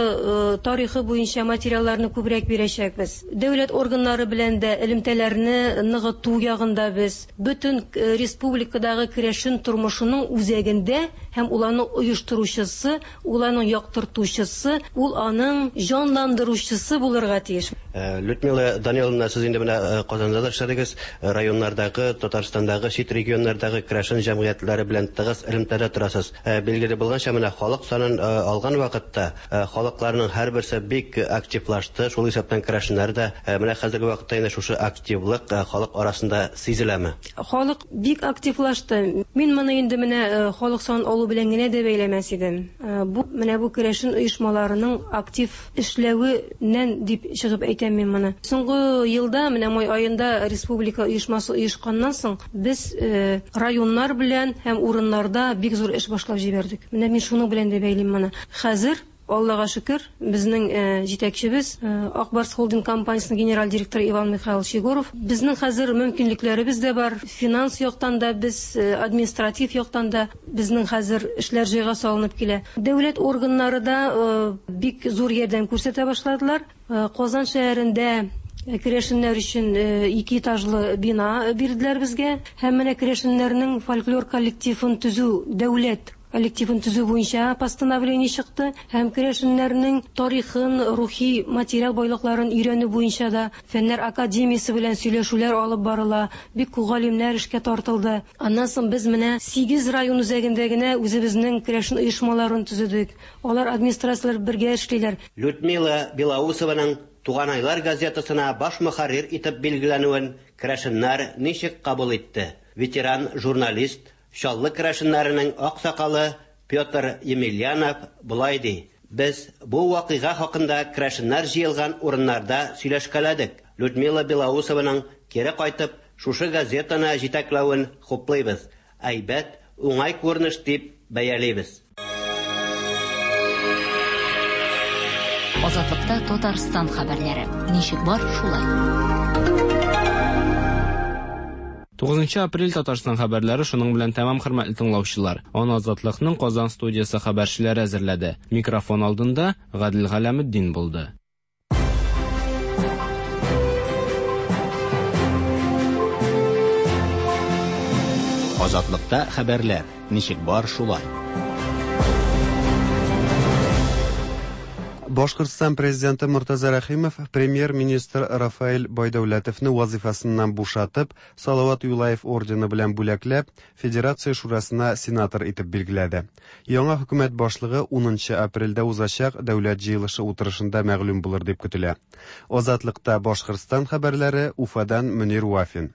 тарихы буенча материалларны күбрәк бирәчәкбез. Дәүләт органнары белән дә элемтәләрне ныгыту ягында без. Бөтен республикадагы керәшен тормышының үзәгендә һәм ул аның оештыручысы, ул аның яктыртучысы, ул аның җанландыручысы булырга тиеш. Людмила Даниловна, сез инде менә Казанда да эшләдегез, районнардагы, Татарстандагы, чит регионнардагы керәшен җәмгыятьләре белән тыгыз элемтәдә торасыз. Билгеле булганча, менә халык санын алган вакытта халыкларның һәрберсе бик активлашты, шул исәптән керәшеннәр дә. Менә хәзерге вакытта инде шушы активлык халык арасында сизеләме? Халык бик активлашты. Мин моны инде менә халык санын алу белән генә дә бәйләмәс идем. Бу менә бу керәшен оешмаларының актив эшләвеннән дип чыгып әйтәм мин моны. Соңгы елда, менә май аенда республика оешмасы оешканнан соң, без районнар белән һәм урыннарда бик зур эш башлап җибәрдек. Менә мин шуның белән дә бәйлим моны. Хәзер Аллага шөкер, безнең җитәкчебез, Ак Барс Холдинг компаниясенең генераль директоры Иван Михайлович Егоров. Безнең хәзер мөмкинлекләребез дә бар, финанс яктан да без, административ яктан да безнең хәзер эшләр җайга салынып килә. Дәүләт органнары да бик зур ярдәм күрсәтә башладылар. Казан шәһәрендә керәшеннәр өчен ике этажлы бина бирделәр безгә. Һәм менә керәшеннәрнең фольклор коллективын төзү дәүләт коллективын төзү буенча постановление чыкты һәм керәшеннәрнең тарихын, рухи материал байлыкларын өйрәнү буенча да Фәннәр академиясе белән сөйләшүләр алып барыла, бик күп галимнәр эшкә тартылды. Аннан соң без менә 8 район үзәгендә генә үзебезнең керәшен оешмаларын төзедек. Алар администрацияләр бергә эшлиләр. Людмила Белоусованың Туганайлар газетасына баш мөхәррир итеп билгеләнүен керәшеннәр ничек кабул итте? Ветеран журналист, Чаллы керәшеннәренең аксакалы Петр Емельянов болай ди: Без бу вакыйга хакында керәшеннәр җыелган урыннарда сөйләшкәләдек. Людмила Белоусованың кире кайтып, шушы газетаны җитәкләвен хуплыйбыз. Әйбәт, уңай күренеш дип бәялибез. Азатлыкта Татарстан хәбәрләре. Ничек бар, шулай. 9 апрель Татарстан хәбәрләре шуның белән тәмам, хөрмәтле тыңлаучылар. Аны Азатлыкның Казан студиясе хәбәрчеләре әзерләде. Микрофон алдында Гадел Галәметдин булды. Азатлыкта хәбәрләр. Ничек бар, шулай. Башкортстан президенты Мортаза Рәхимов премьер-министр Рафаэль Байдәүләтовны вазифасыннан бушатып, Салават Юлаев ордены белән бүләкләп, Федерация Шурасына сенатор итеп билгеләде. Яңа хөкүмәт башлыгы 10 апрельдә узачак дәүләт җыелышы утырышында мәгълүм булыр дип көтелә. Азатлыкта Башкортстан хәбәрләре Уфадан Мөнир Вафин.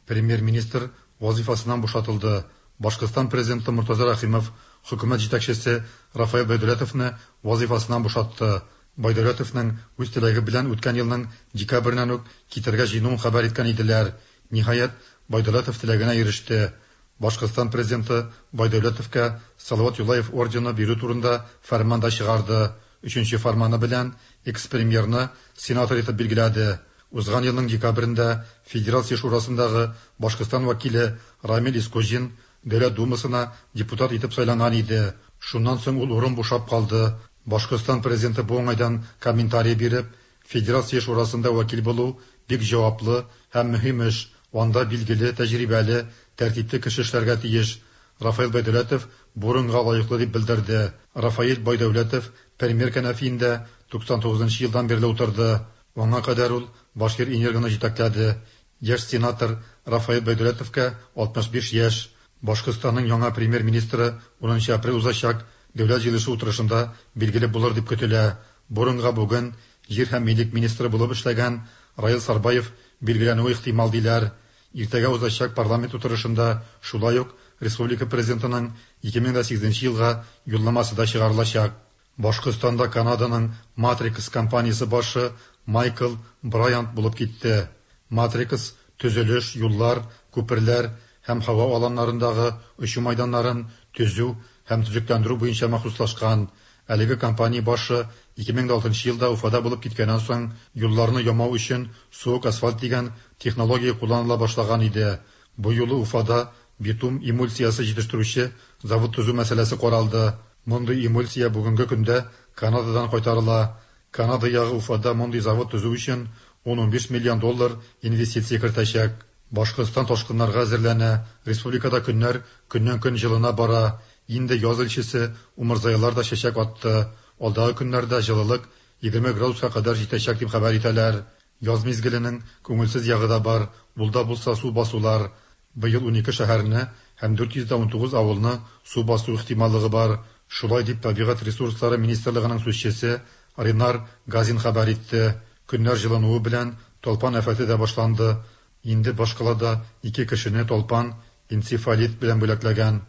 Премьер-министр вазифасыннан бушатылды. Башкортстан президенты Мортаза Рәхимов хөкүмәт җитәкчесе Рафаэль Байдәүләтовны вазифасыннан бушатты. Байдәүләтовның үз теләге белән үткән елның декабреннән үк китәргә җыенуын хәбәр иткән иделәр. Ниһаять, Байдәүләтов теләгенә иреште. Башкортстан президенты Байдәүләтовка Салават Юлаев ордены бирү турында фәрман да чыгарды. Өченче фәрманы белән экс-премьерны сенатор итеп билгеләде. Узган елның декабрендә Федерация Шурасындагы Башкортстан вәкиле Рамил Искуҗин Дәүләт Думасына депутат итеп сайланган иде. Шуннан соң ул урын бушап калды. Башкортстан президенты бу уңайдан комментарий биреп, Федерация Шурасында вәкил булу бик җаваплы һәм мөһим эш. Анда билгеле, тәҗрибәле, тәртипле кеше эшләргә тиеш. Рафаэль Байдәүләтов бу урынга лаеклы дип белдерде. Рафаэль Байдәүләтов премьер кәнәфиендә 99 елдан бирле утырды. Аңа кадәр ул Башкир-Энергоны җитәкләде. Яшь сенатор Рафаэль Байдүләтовка 65 яшь. Башкортстанның яңа премьер-министры 10 нчы апрель узачак Дәүләт җыелышы утырышында билгеле булыр дип көтелә. Бу урынга бүген җир һәм милек министры булып эшләгән Раил Сарбаев билгеләнүе ихтимал диләр. Иртәгә узачак парламент утырышында шулай ук республика Президентының 2008 нче елга юлламасы да чыгарылачак. Башкортстанда Канаданың Matrix компаниясе башы Майкл Брайант булып китте. Matrix төзелеш, юллар, күперләр һәм һава аланнарындагы очу майданнарын төзү һәм төзекләндерү буенча махсуслашкан. Әлеге компания башы 2006 нчы елда Уфада булып киткәннән соң юлларны ямау өчен суык асфальт дигән технология кулланыла башлаган иде. Бу юлы Уфада битум эмульсиясе җитештерүче завод төзү мәсьәләсе каралды. Мондый эмульсия бүгенге көндә Канададан кайтарыла. Канада ягы Уфада мондый завод төзү өчен ун-унбиш миллион доллар инвестиция кертәчәк. Башкортстан ташкыннарга әзерләнә. Республикада көннәр көннән-көн җылына бара. Инде яз илчесе умырзаялар да чәчәк атты. Алдагы көннәрдә җылылык 20 градуска кадәр җитәчәк дип хәбәр итәләр. Яз мизгеленең күңелсез ягы да бар, ул да булса су басулар. Быел унике шәһәрне һәм 419 авылны су басу ихтималлыгы бар. Шулай дип Табигать ресурслары министрлыгының сүзчесе Ринар Газин хәбәр итте. Көннәр җылынуы белән талпан афәте дә башланды. Инде башкалада ике кешене талпан энцефалит белән бүләкләгән.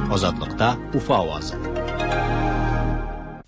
Азатлыкта Уфа авазы.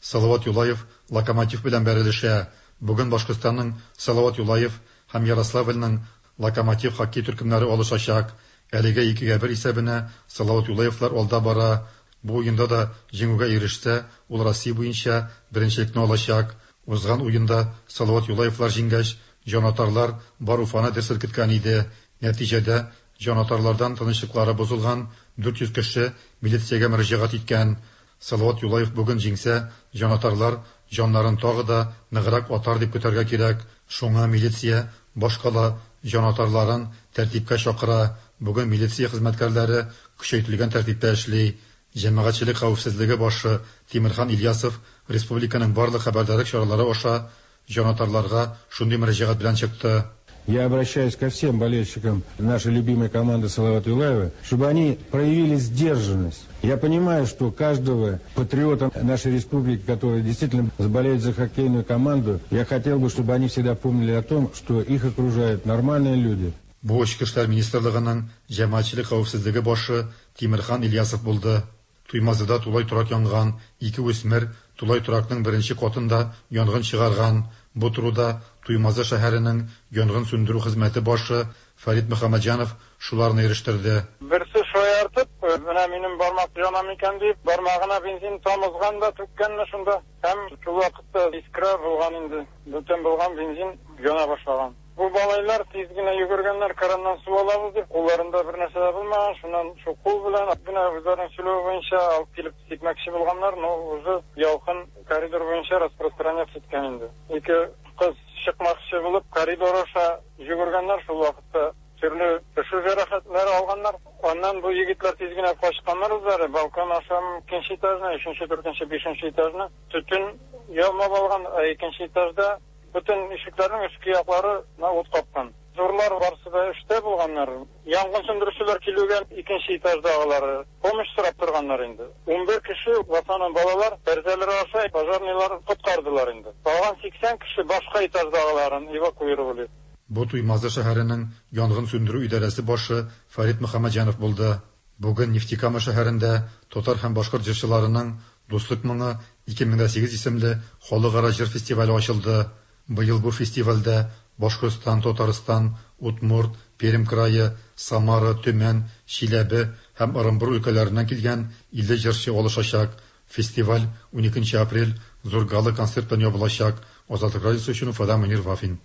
Салават Юлаев Локомотив белән бәрелешә. Бүген Башкортстанның Салават Юлаев һәм Ярославльның Локомотив хоккей төркемнәре алышачак. Әлегә икегә бер исәбенә Салават Юлаевлар алда бара. Бу уенда да җиңүгә ирешсә, ул Россия буенча беренчелекне алачак. Узган уенда Салават Юлаевлар җиңгәч, җанатарлар бар Уфаны дер селкеткән иде. Нәтиҗәдә, җанатарлардан тынычлыклары бозылган 400 кеше милициягә мөрәҗәгать иткән. Салават Юлаев бүген җиңсә, җанатарлар җаннарын тагы да ныграк атар дип көтәргә кирәк. Шуңа милиция башкала җанатарларын тәртипкә чакыра. Бүген милиция хезмәткәрләре көчәйтелгән тәртиптә эшли. Җәмәгатьчелек хәвефсезлеге башы Тимерхан Ильясов республиканың барлык хәбәрдарлык чаралары аша җанатарларга шундый мөрәҗәгать белән чыкты. Я обращаюсь ко всем болельщикам нашей любимой команды Салават Юлаева, чтобы они проявили сдержанность. Я понимаю, что каждого патриота нашей республики, который действительно болеет за хоккейную команду, я хотел бы, чтобы они всегда помнили о том, что их окружают нормальные люди. Бу Эчке эшләр министрлыгының җәмәгатьчелек хәвефсезлеге башы Тимерхан Ильясов булды. Туймазыда тулай торак янган, ике үсмер тулай торакның беренче катында янгын чыгарган. Бу турыда Туймазы шәһәренең янгын сүндерү хезмәте башы Фәрит Мөхәммәтҗанов шуларны ирештерде. Берсе шаяртып, менә минем бармак яна микән дип, бармагына бензин тамызган да түккәнме шунда. Һәм шул вакытта искра булган инде, бүтән булган бензин яна башлаган. Бу малайлар тиз генә йөгергәннәр, краннан су алабыз дип, кулларында бер нәрсә дә булмаган, шуннан шул кул белән, менә үзләренең сөйләве буенча алып килеп сипмәкче булганнар, но уже ялкын коридор буенча распространяться иткән инде. Ике кыз чыкмакчы булып, коридор аша йөгергәннәр, шул вакытта төрле пешү җәрәхәтләре алганнар. Аннан бу егетләр тиз генә качканнар үзләре, балкон аша икенче этажны, өченче, дүртенче, бишенче этажны төтен ялмап алган, ә икенче этажда бөтен ишекләрнең өске яклары на ут капкан. Зурлар барысы да эштә булганнар. Янгын сүндерүчеләр килүгә икенче этаждагылары помощь сорап торганнар инде. 11 кеше, в основном балалар, тәрәзәләр аша пожарныйлар коткардылар инде. Калган 80 кеше башка этаждагыларын эвакуировали. Бу Туймазы шәһәренең янгын сүндерү идарәсе башы Фәрит Мөхәммәтҗанов булды. Бүген Нефтекама шәһәрендә татар һәм башкорт җырчыларының Дуслык моңы 2008 исемле халыкара җыр фестивале ачылды. Быел бу фестивальдә Башкортстан, Татарстан, Удмурт, Пермь крае, Самара, Төмән, Чиләбе һәм Ырынбур өлкәләреннән килгән 50 җырчы алышачак. Фестиваль 12 апрель зур гала-концерт белән ябылачак. Азатлык радиосы өчен Уфадан Мөнир Вафин.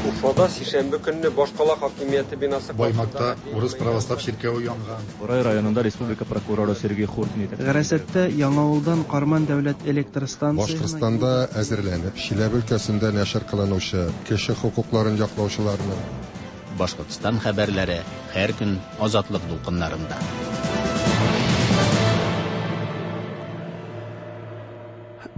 Уфада сишәмбе көнне башкала хакимияте бинасы Баймакта урыс православ чиркәве янган. Борай районында республика прокуроры Сергей Хуртин Гарасәттә Яңавылдан Карман дәүләт электр станциясенә Башкортстанда әзерләнеп, Чиләбе өлкәсендә нәшер кылынучы кеше хокукларын яклаучыларның, Башкортстан хәбәрләре һәр көн Азатлык дулкыннарында.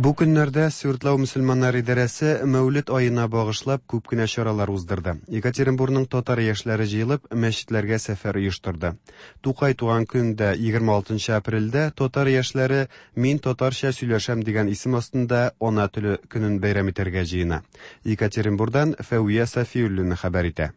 Бу көннәрдә Свердлау мөселманнар идарәсе Мәүлет аена багышлап күп кенә чаралар уздырды. Екатеринбурның татар яшьләре җыелып, мәчетләргә сәфәр оештырды. Тукай туган көндә, 26 апрельдә татар яшьләре Мин татарча сөйләшәм дигән исем астында Ана теле көнен бәйрәм итәргә җыена. Екатеринбурдан Фәвия Сафиуллина хәбәр итә.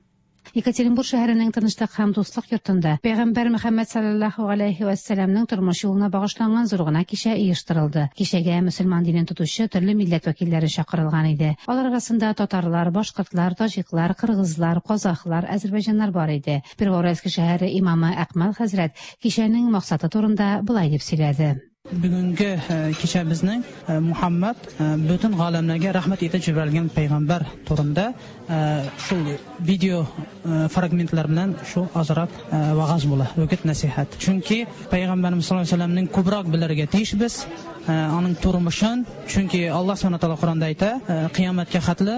Екатеринбур шәһәренең Тынычлык һәм дуслык йортында Пәйгамбәр Мөхәммәд салләллаһу галәйһи вә сәламнең тормыш юлына багышланган зур гына кичә оештырылды. Кичәгә мөселман динен тотучы төрле милләт вәкилләре чакырылган иде. Алар арасында татарлар, башкортлар, таҗиклар, кыргызлар, казахлар, әзербайҗаннар бар иде. Первоуральский шәһәре имамы Әкмәл хәзрәт кичәнең максаты турында болай дип сөйләде. Бүгенге кичәбезнең Мухаммад бөтен галәмнәргә рәхмәт итеп җибәрелгән пәйгамбәр турында шул видео фрагментлар белән шул азрак вагаз була, үгет нәсихәт. Чөнки пәйгамбәребез саллаллаһу алейһи вәсәлләмнең күбрәк белергә тиешбез, аның тормышын, чөнки Аллаһ субхана тәгалә Коранда әйтә, кыямәткә хәтле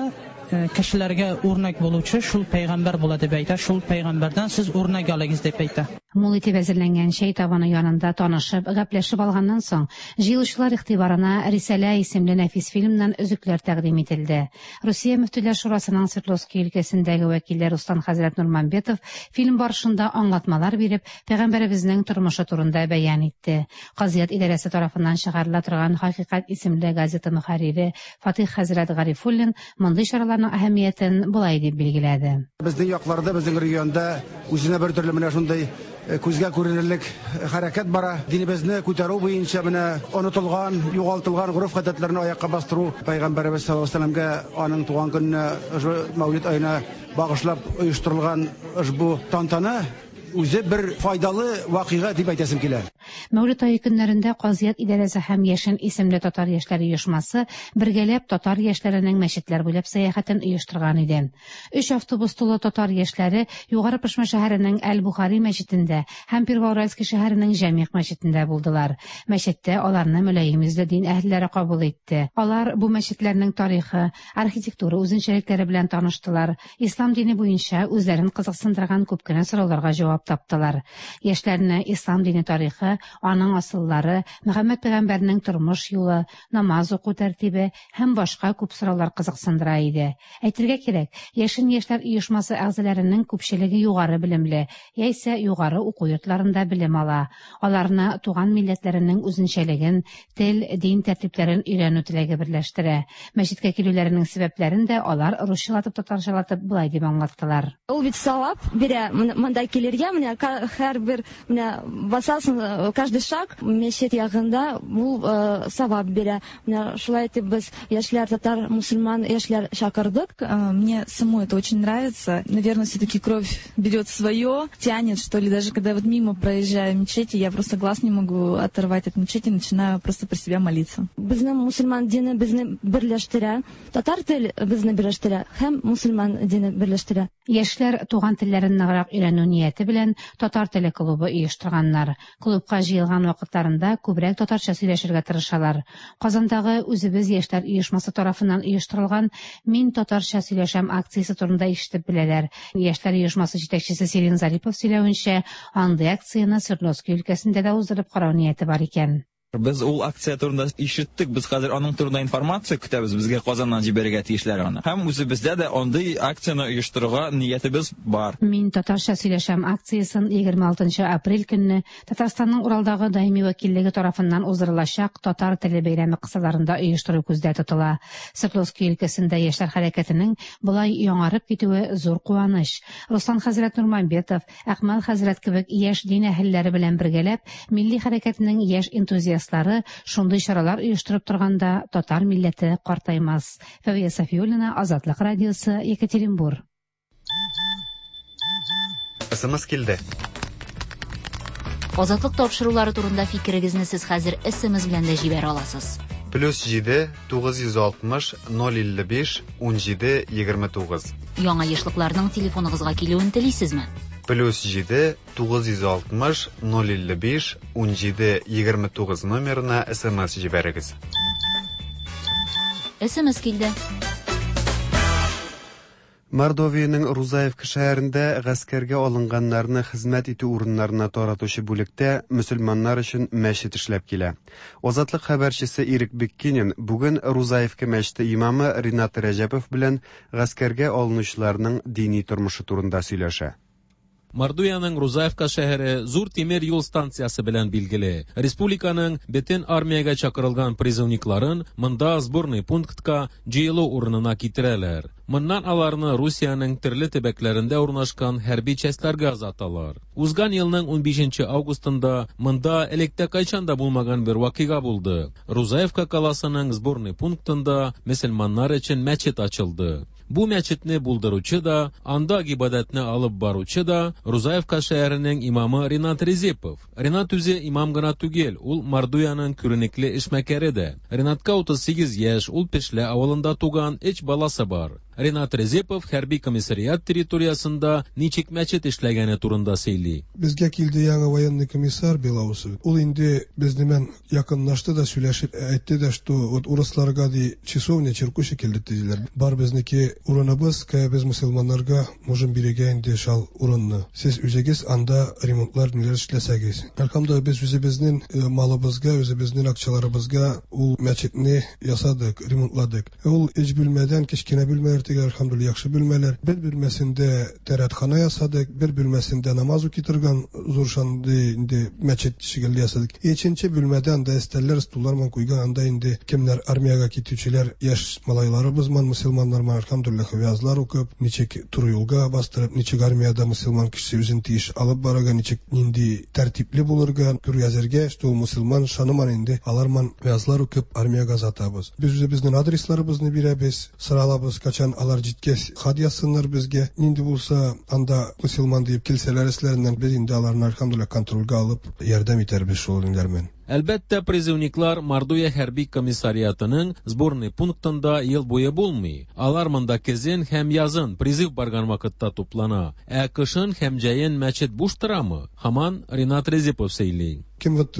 кешеләргә үрнәк булучы шул пәйгамбәр була дип әйтә, шул пәйгамбәрдән сез үрнәк алыгыз дип әйтә. Мул итеп әзерләнгән чәй табыны янында танышып, гәпләшеп алганнан соң, җыелучылар игътибарына Рисалә исемле нәфис фильмнан өзекләр тәкъдим ителде. Русия Мөфтиләр шурасының Свердловски өлкәсендәге вәкиле Руслан хәзрәт Нурмамбетов фильм барышында аңлатмалар биреп, пәйгамбәребезнең тормышы турында бәян итте. Казыят идарәсе тарафыннан чыгарыла торган Хакыйкать исемле газета мөхәррире Фатыйх хәзрәт Гарифуллин мондый чараларның әһәмиятен болай дип билгеләде. Безнең якларда, безнең регионда үзенә бер төрле менә шундый э, күзгә күренерлек хәрәкәт бара. Динебезне күтәрү буенча менә онытылган, югалтылган гореф-гадәтләрне аякка бастыру Пәйгамбәребез саллаллаһу алейһи вәсәлләмгә аның туган көненә, Мәүлид аена багышлап оештырылган ошбу тантана үзе бер файдалы вакыйга дип әйтәсем килә. Мәүлид ае көннәрендә Казыят идарәсе һәм Яшен исемле татар яшьләре оешмасы бергәләп татар яшьләренең мәчетләр буйлап сәяхәтен оештырган иде. Өч автобус тулы татар яшьләре Югары Пышма шәһәренең Әл-Бухари мәчетендә һәм Первоуральский шәһәренең Җәмигъ мәчетендә булдылар. Мәчеттә аларны мөлаем йөзле дин әһелләре кабул итте. Алар бу мәчетләрнең тарихы, архитектура үзенчәлекләре белән таныштылар, Ислам дине буенча үзләрен кызыксындырган күп кенә сорауларга җавап таптылар. Яшьләрне ислам дине тарихы, аның асыллары, Мөхәммәд пәйгамбәрнең тормыш юлы, намаз уку тәртибе һәм башка күп сораулар кызыксындыра иде. Әйтергә кирәк, Яшен яшьләр оешмасы әгъзаләренең күпчелеге югары белемле, яисә югары уку йортларында белем ала. Аларны туган милләтләренең үзенчәлеген, тел, дин тәртипләрен өйрәнү теләге берләштерә. Мәчеткә килүләренең сәбәпләрен дә алар русчалатып-татарчалатып болай дип аңлаттылар. Ул бит савап бирә монда килергә, менә һәрбер менә басасың, каждый шаг мәчет ягында ул савап бирә. Менә шулай итеп без яшьләр, татар, мусульман яшьләр чакырдык. Мне самой это очень нравится. Наверное, все-таки кровь берет свое, тянет, что ли. Даже когда вот мимо проезжаю мечети, я просто глаз не могу оторвать от мечети, начинаю просто про себя молиться. Безнең мусульман дине безне берләштерә, татар тел безне берләштерә һәм мусульман дине берләштерә. Яшьләр туган телләрен ныграк өйрәнү нияте белән татар теле клубы оештырганнар. Клубка җыелган вакытларында күбрәк татарча сөйләшергә тырышалар. Казандагы Үзебез яшьләр оешмасы тарафыннан оештырылган Мин татарча сөйләшәм акциясе турында ишетеп беләләр. Яшьләр оешмасы җитәкчесе Сирин Зарипов сөйләвенчә, андый акцияне Свердловски өлкәсендә дә уздырып карау нияте бар икән. Без ул акция турында ишеттек, без хәзер аның турында информация көтәбез, безгә Казаннан җибәрергә тиешләр аны. Һәм үзебездә дә андый акцияне оештырырга ниятебез бар. Мин татарча сөйләшәм акциясен 26 нчы апрель көнне Татарстанның Уралдагы даими вәкиллеге тарафыннан уздырылачак Татар теле бәйрәме кысаларында оештыру күздә тотыла. Свердловски өлкәсендә яшьләр хәрәкәтенең болай яңарып китүе зур куаныч. Руслан хәзрәт Нурмамбетов, Әкмәл хәзрәт кебек яшь дин әһелләре белән бергәләп, милли хәрәкәтнең яшь энтузиастлары шундый чаралар оештырып торганда татар милләте картаймас. Фәвия Сафиуллина, Азатлык радиосы, Екатеринбур. СМС килде. Азатлык тапшырулары турында фикерегезне сез хәзер СМС белән дә җибәрә аласыз. Плюс 7 960 055 17 29. Яңа ешлыкларның телефоныгызга килүен телисезме? Плюс 7 960 055 17 29 номерына смс җибәрегез. СМС килде. Мордовиянең Рузаевка шәһәрендә гаскәргә алынганнарны хезмәт итү урыннарына таратучы бүлектә мөселманнар өчен мәчет эшләп килә. Азатлык хәбәрчесе Ирек Биккинин бүген Рузаевка мәчете имамы Ринат Рәҗәпов белән гаскәргә алынучыларның дини тормышы турында сөйләшә. Мордовиянең Рузаевка шәһәре зур тимер юл станциясе белән билгеле. Республиканың бөтен армиягә чакырылган призывникларын монда сборный пунктка җыелу урынына китерәләр. Моннан аларны Русиянең төрле төбәкләрендә урнашкан хәрби частьләргә озаталар. Узган елның 15 августында монда электә кайчан да булмаган бер вакыйга булды. Рузаевка каласының сборный пунктында мөселманнар өчен мәчет ачылды. Бу мәчетне булдыручы да, анда гыйбадәтне алып баручы да Рузаевка шәһәренең имамы Ринат Резепов. Ринат үзе имам гына түгел, ул Мордовиянең күренекле эшмәкәре дә. Ринатка 38 яшь, ул Пешлә авылында туган, өч баласы бар. Ринат Резепов хәрби комиссариат территориясендә ничек мәчет эшләгәне турында сөйли. Безгә килде яңа военный комиссар Белоусов. Ул инде безнең белән якынлашты да сөйләшеп әйтте дә, что вот урысларга ди часовня чиркәү шикелле диләр. Бар безнеке урыныбыз, кая без мөселманнарга можем бирергә инде шал урынны. Сез үзегез анда ремонтлар ниләр эшләсәгез. Әлхәмдүлилләһ, без үзебезнең малыбызга, үзебезнең акчаларыбызга ул мәчетне ясадык, ремонтладык. Ул өч бүлмәдән кечкенә бүлмәләр түгел, әлхәмдүлилләһ, яхшы бүлмәләр. Бер бүлмәсендә тәрәтхана ясадык, бер бүлмәсендә намаз укый торган зур шундый инде мәчет шикелле ясадык. Икенче бүлмәдә анда өстәлләр, стуллар ман куйган, анда инде кемнәр армиягә китүчеләр, яшь малайларыбыз ман, мөселманнар ман, әлхәмдүлилләһ, вәгазьләр укып, ничек туры юлга бастырып, ничек армиядә мөселман кешесе үзен тиеш алып барырга, ничек нинди тәртипле булырга, күргәзергә, что ул мөселман шаныман инде, алар ман вәгазьләр укып армиягә озатабыз. Без үзебезнең адресларыбызны бирәбез, соралабыз, качан алар җиткәч хат язсыннар безгә. Нинди булса анда мөселман диеп килсәләр эшләреннән, без инде аларны әлхәмдүлилләһ контрольгә алып ярдәм итәрбез шул ниләр белән. Әлбәттә, призывниклар Мордовия хәрби комиссариатының сборный пунктында ел буе булмый. Алар монда көзен һәм язын призыв барган вакытта туплана. Ә кышын һәм җәен мәчет буш торамы? Һаман Ринат Резепов сөйли. Кем вот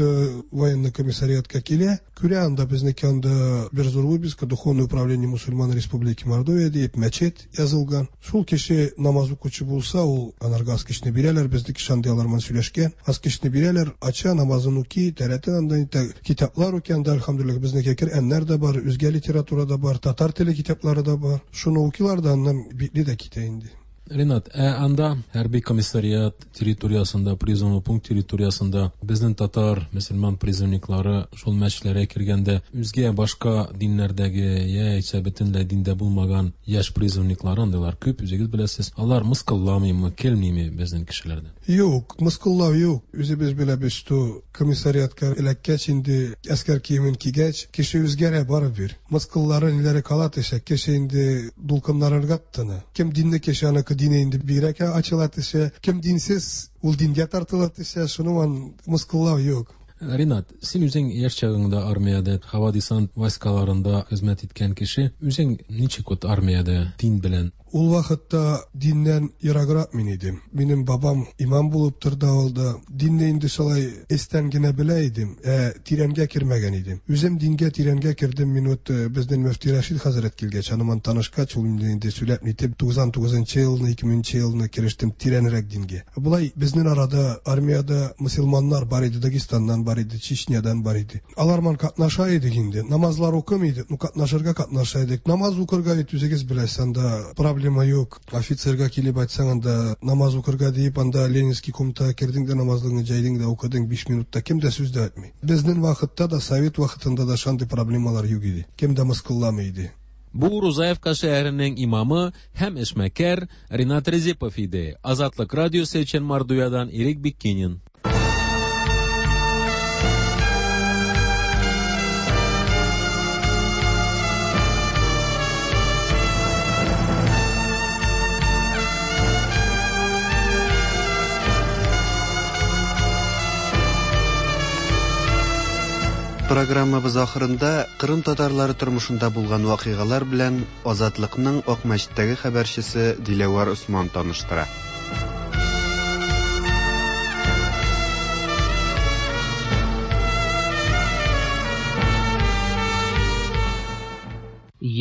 военный комиссариатка килә, күрә анда безнеке анда бер зур вывеска Духовное управление мусульман Республики Мордовия дип мәчет язылган. Шул кеше намаз укучы булса, ул анарга аскычны бирәләр, безнеке шундый алар белән сөйләшкән. Аскычны бирәләр, ача, намазын укый, тәрәтен анда инде китаплар укый, анда әлхәмдүлилләһ безнеке Коръәннәр дә бар, үзгә литература да бар, татар теле китаплары да бар. Шуны укыйлар да аннан битле дә китә инде. Ринат, ә анда хәрби комиссариат территориясендә, призывный пункт территориясендә безнең татар, мөселман призывниклары шул мәчетләргә кергәндә үзгә башка диннәрдәге яисә бөтенләй диндә булмаган яшь призывниклары андыйлар күп, үзегез беләсез. Алар мыскылламыймы, килмиме безнең кешеләрдән? Юк, мыскыллау юк. Үзебез беләбез, что комиссариатка эләккәч инде әскәр киемен кигәч, кеше үзгәрә барыбер. Мыскыллары ниләре кала төшә, кеше инде дулкыннарырга тотына. Кем динле кеше аныкы дине инде бигрәк ачыла төшә, кем динсез ул дингә тартыла төшә, шуның мыскыллау юк. Ринат, син үзең яшь чагыңда армиядә, һава десант войскаларында хезмәт иткән кеше, үзең ничек вот армиядә дин белән? Ул вакытта диннән ераграк мин идем. Минем бабам имам булып торды авылда. Динне инде шулай эстән генә белә идем, ә тирәнгә кермәгән идем. Үзем дингә тирәнгә кердем. Мин вот безнең мөфти Рәшид хәзрәт килгәч, аныман танышкач, ул инде сөйләп нитеп 99 елны, 2000 елны керештем тирәнрәк дингә. Болай безнең арада армиядә мөселманнар бар иде, Дагестаннан бар иде, Чечнядан бар иде. Алар ман катнаша идек инде. Намазлар укымый идек, ну катнашырга катнаша идек. Намаз укырга бит үзегез беләсез, анда проблема юк. Офицерга килеп айтсаң, анда намаз укырга диеп, анда Ленинский комнатага кердең дә намазлыгыңны җәйдең дә укыдың 5 минутта, кем дә сүз дә әйтми. Безнең вакытта да, совет вакытында да шундый проблемалар юк иде. Кем дә мыскылламый иде. Бу Рузаевка шәһәренең имамы һәм эшмәкәр Ринат Резепов иде. Азатлык радиосы өчен Мордовиядан Ирек Биккинин. Программабыз ахырында Кырым татарлары тормышында булган вакыйгалар белән Азатлыкның Акмәчеттәге хәбәрчесе Диләвәр Усман таныштыра.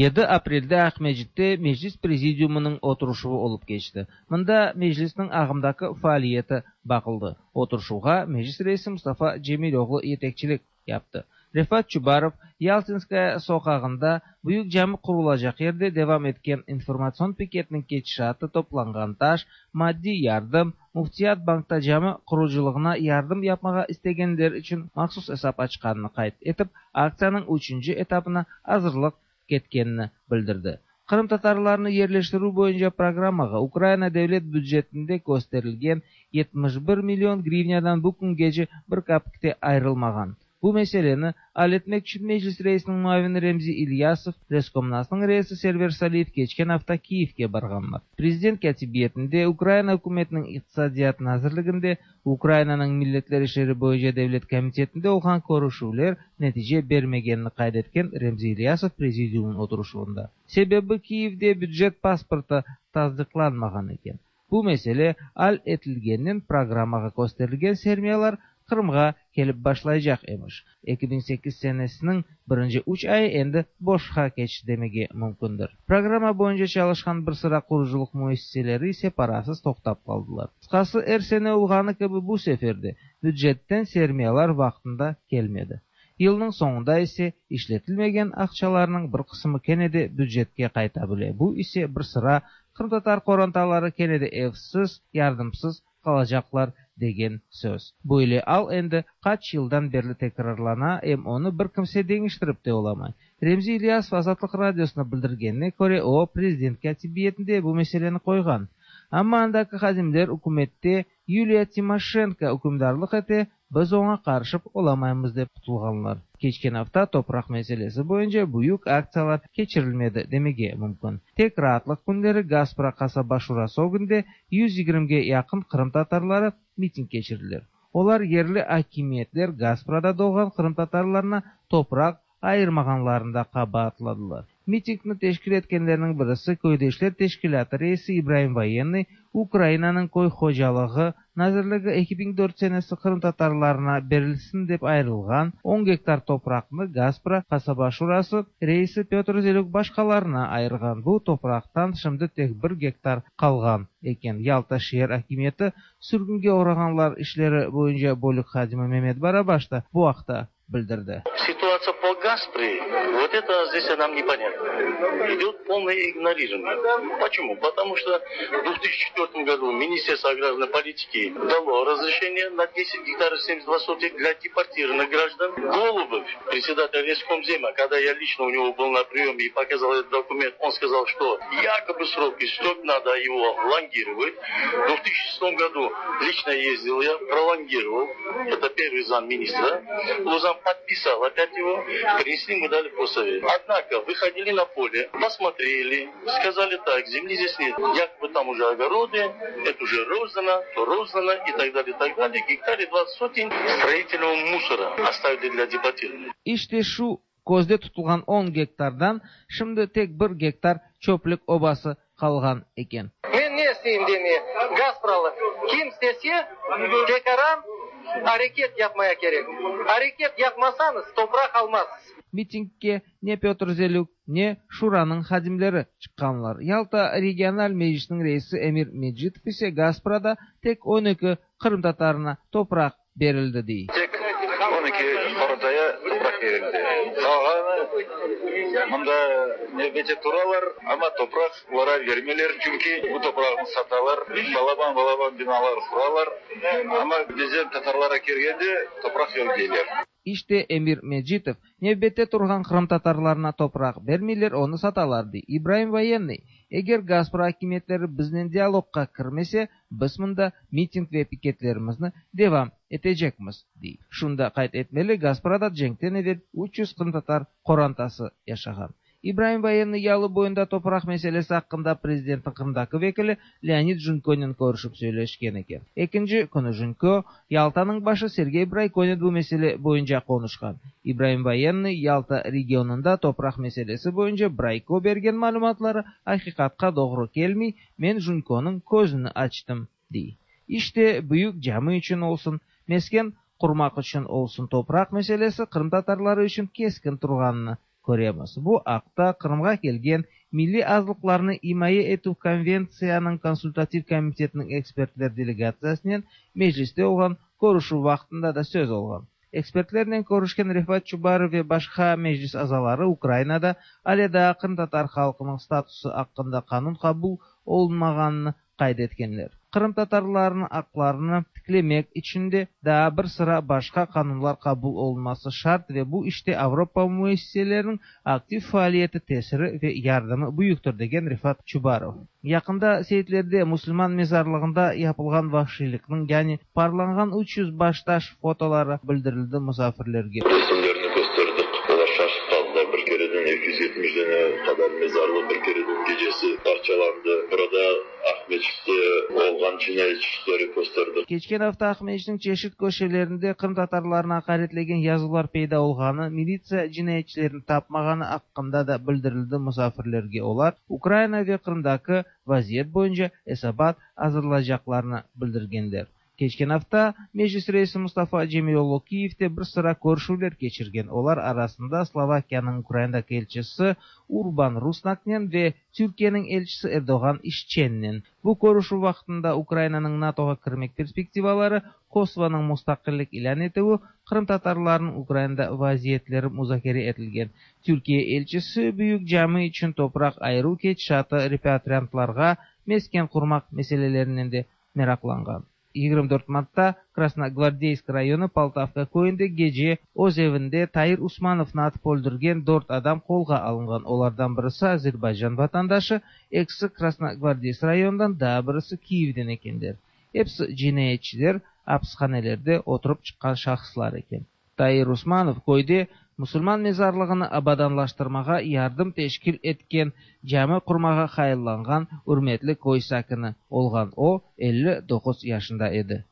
7 aprelde Aqmescitte Meclis Prezidiumınıñ oturışuvı olıp keçti. Mında Meclisniñ ağımdaki faaliyeti baqıldı. Oturışuvğa Meclis reisi Mustafa Cemiloğlu yetekçilik yaptı. Refat Çubarov, Yaltinskaya soqağında Büyük cami qurulacaq yerde devam etken informatsion piketniñ ketişatı toplanğan taş, maddiy yardım, Müftiyat bankta cami qurucılığına yardım yapmağa istegenler içün mahsus esap açqanını qayd etip, aktsiyanıñ üçünci etapına azırlıq ketkenini bildirdi. Qırımtatarlarnı yerleştirüv boyunca programmağa Ukraina devlet bücetinde kösterilgen 71 million grivnâdan bu küngece bir kapik te ayırılmağan. Bu meseleni al etmek içün Meclis reisiniñ muavini Remzi İlyasov, Reskomnasnıñ reisi Server Saliyev keçken afta Kiyevge barğanlar. Prezident Kâtibiyetinde, Ukraina ükümetiniñ İqtisadiyat nazirliginde, Ukrainanıñ milletler işleri boyunca devlet komitetinde olğan körüşüvler netice bermegenini qayd etken Remzi İlyasov prezidiumnıñ oturışuvında. Sebebi Kiyevde bücet pasportı tasdıqlanmağan eken. Bu mesele al etilgeninen programmağa kösterilgen sermiyalar Qırımğa kelip başlaycaq emiş. 2008 senesiniñ birinci üç ayı endi boşqa keçti demege mümkündir. Programma boyunca çalışqan bir sıra qurucılıq müessiseleri ise parasız toqtap qaldılar. Qısqası, er sene olğanı kibi bu sefer de bücetten sermiyalar vaqtında kelmedi. Yılnıñ soñunda ise işletilmegen aqçalarnıñ bir qısımı kene de bücetke qayta bile, bu ise bir sıra qırımtatar qorantaları kene de evsiz, yardımsız qalacaqlar degen söz. Böyle al endi qaç yıldan berli tekrarlana, em onı bir kimse deñiştirip te olamay. Remzi İlyasov Azatlıq Radiosına bildirgenine köre, o, prezident kâtibiyetinde bu meseleni qoyğan. Amma andaki hadimler ükümette Yuliya Timoşenko ükümdarlıq ete, biz oña qarışıp olamaymız dep qutulğanlar. Keçken afta topraq meselesi boyunca büyük aktsiyalar keçirilmedi demege mümkün. Tek raatlıq künleri Gaspra qasaba şurası ögünde 120-ge yaqın qırımtatarları miting keçirdiler. Olar yerli akimiyetler Gasprada doğğan qırımtatarlarına topraq ayırmağanlarında qabaatladılar. Mitingni teşkil etkenlerniñ birisi Köydeşler teşkilâtı reisi İbraim Voyennıy Ukrainanıñ köy hocalığı nazirligi 2004 senesi qırımtatarlarına berilsin dep ayırılğan on gektar topraqnı Gaspra qasaba şurası reisi Pötr Zelük başqalarına ayırğan. Bu topraqtan şimdi tek bir gektar qalğan eken. Yalta şeer akimiyeti sürgünge oğrağanlar işleri boyunca bölük hadimi Memet Barabaş da bu aqta bildirdi. Ситуация по Гаспре, вот это здесь нам непонятно. Идет полное игнорирование. Почему? Потому что в 2004 году Министерство аграрной политики дало разрешение на 10 гектаров 72 сотых для депортированных граждан. Голубев, председатель Рескомзема, когда я лично у него был на приеме и показал этот документ, он сказал, что якобы срок истек, надо его лонгировать. В 2006 году лично ездил я, пролонгировал. Это первый замминистра. Лузан подписал опять его, принесли, мы дали постсовет. Однако выходили на поле, посмотрели, сказали так, земли здесь нет. Якобы там уже огороды, это уже роздано, то роздано и так далее, и так далее. Гектаре 20 сотен строительного мусора оставили для депортированных. İşte şu közde tutulğan on gektardan şimdi tek bir gektar çöplük obası qalğan eken. Men ne isteyim deme, Gaspralı, kim istese, tekaran areket yapmaya kerek. Areket yapmasañız, topraq almazsız. Mitingge ne Pötr Zelük, ne Şuranıñ hadimleri çıqqanlar. Yalta regional meclisiniñ reisi Emir Mecitov ise Gasprada tek 12 qırımtatarına topraq berildi, dey. Tek 12 qorantaya topraq berildi. Qalğanı mında nevbette turalar, amma topraq olarğa bermeyler, çünki bu topraqnı satalar, balaban-balaban binalar quralar, amma bizden tatarlarğa kelgende topraq yoq deyler. İşte, Emir Mecitov, nevbette turğan qırımtatarlarına topraq bermeyler, onı satalar, dey. İbraim Voyennıy, Eger Gaspra akimiyetleri biznen dialogqa kirmese, biz mında miting ve piketlerimizni devam etecekmiz, dey. Şunı da qayd etmeli, Gasprada cenkten evel 300 qırımtatar qorantası yaşağan. İbraim Voyennıy yalı boyunda topraq meselesi aqqında prezidentniñ Qırımdaki vekili Leonid Junkonen körüşip söyleşken eken. Ekinci künü Junko, Yaltanıñ başı Sergey Braykonen bu mesele boyunca qonuşqan. İbraim Voyennıy Yalta regionında topraq meselesi boyunca Brayko bergen malümatları aqiqatqa doğru kelmey, men Junkonıñ közüni açtım, dey. İşte, büyük cami içün olsun, mesken qurmaq içün olsun topraq meselesi qırımtatarları içün keskin turğanını köremiz. Bu aqta Qırımğa kelgen Milliy azlıqlarnı imaye etüv konventsiyanıñ konsultativ komitetiniñ ekspertler delegatsiyasınen Mecliste olğan körüşüv vaqtında da söz olğan. Ekspertlernen körüşken Refat Çubarov ve başqa Meclis azaları Ukrainada ale daa qırımtatar halqınıñ statusı aqqında qanun qabul olunmağanını qayd etkenler. Qırımtatarlarnıñ aqlarını tiklemek içün de daa bir sıra başqa qanunlar qabul olunması şart ve bu işte Avropa müessiseleriniñ aktiv faaliyeti tesiri ve yardımı büyüktir, degen Refat Çubarov. Yaqında Seytlerde musulman mezarlığında yapılğan vahşiylikniñ, yani parlanğan 300 baştaş fotoları bildirildi musafirlerge. Resimlerni kösterdik, olar şaşıp qaldılar, bir kereden 270 dane qadar mezarlıq bir kereden gecesi parçalandı. Burada Aqmeçitte olğan cinayet işleri kösterdik. Keçken afta Aqmeçitniñ çeşit köşelerinde qırımtatarlarnı aqaretlegen yazılar peyda olğanı, militsiya cinayetçilerni tapmağanı aqqında da bildirildi musafirlerge. Olar Ukraina ve Qırımdaki vaziyet boyunca esabat azırlaycaqlarını bildirgenler. Keçken afta Meclis reisi Mustafa Cemiloğlu Kiyevde bir sıra körüşüvler keçirgen. Olar arasında Slovakiyanıñ Ukrainadaki elçisi Urban Rusnaknen ve Türkiyeniñ elçisi Erdoğan İşçennen. Bu körüşüv vaqtında Ukrainanıñ NATOğa kirmek perspektivaları, Kosovonıñ mustaqillik ilân etüvi, qırımtatarlarnıñ Ukrainada vaziyetleri muzakere etilgen. Türkiye elçisi büyük cami içün topraq ayıruv ketişatı, repatriantlarğa mesken qurmaq meselelerinen de meraqlanğan. 24 martta Krasnogvardeysk rayonı Poltavka köyünde gece öz evinde Tair Usmanovnı atıp öldürgen dört adam qolğa alınğan. Olardan birisi Azerbaycan vatandaşı, ekisi Krasnogvardeysk rayonından, daa birisi Kiyevden ekenler. Episi cinayetçiler, apishanelerde oturıp çıqqan şahıslar eken. Tair Usmanov köyde musulman mezarlığını abadanlaştırmağa yardım teşkil etken, cami qurmağa hayallanğan ürmetli köy sakini olğan. O, 59 yaşında edi.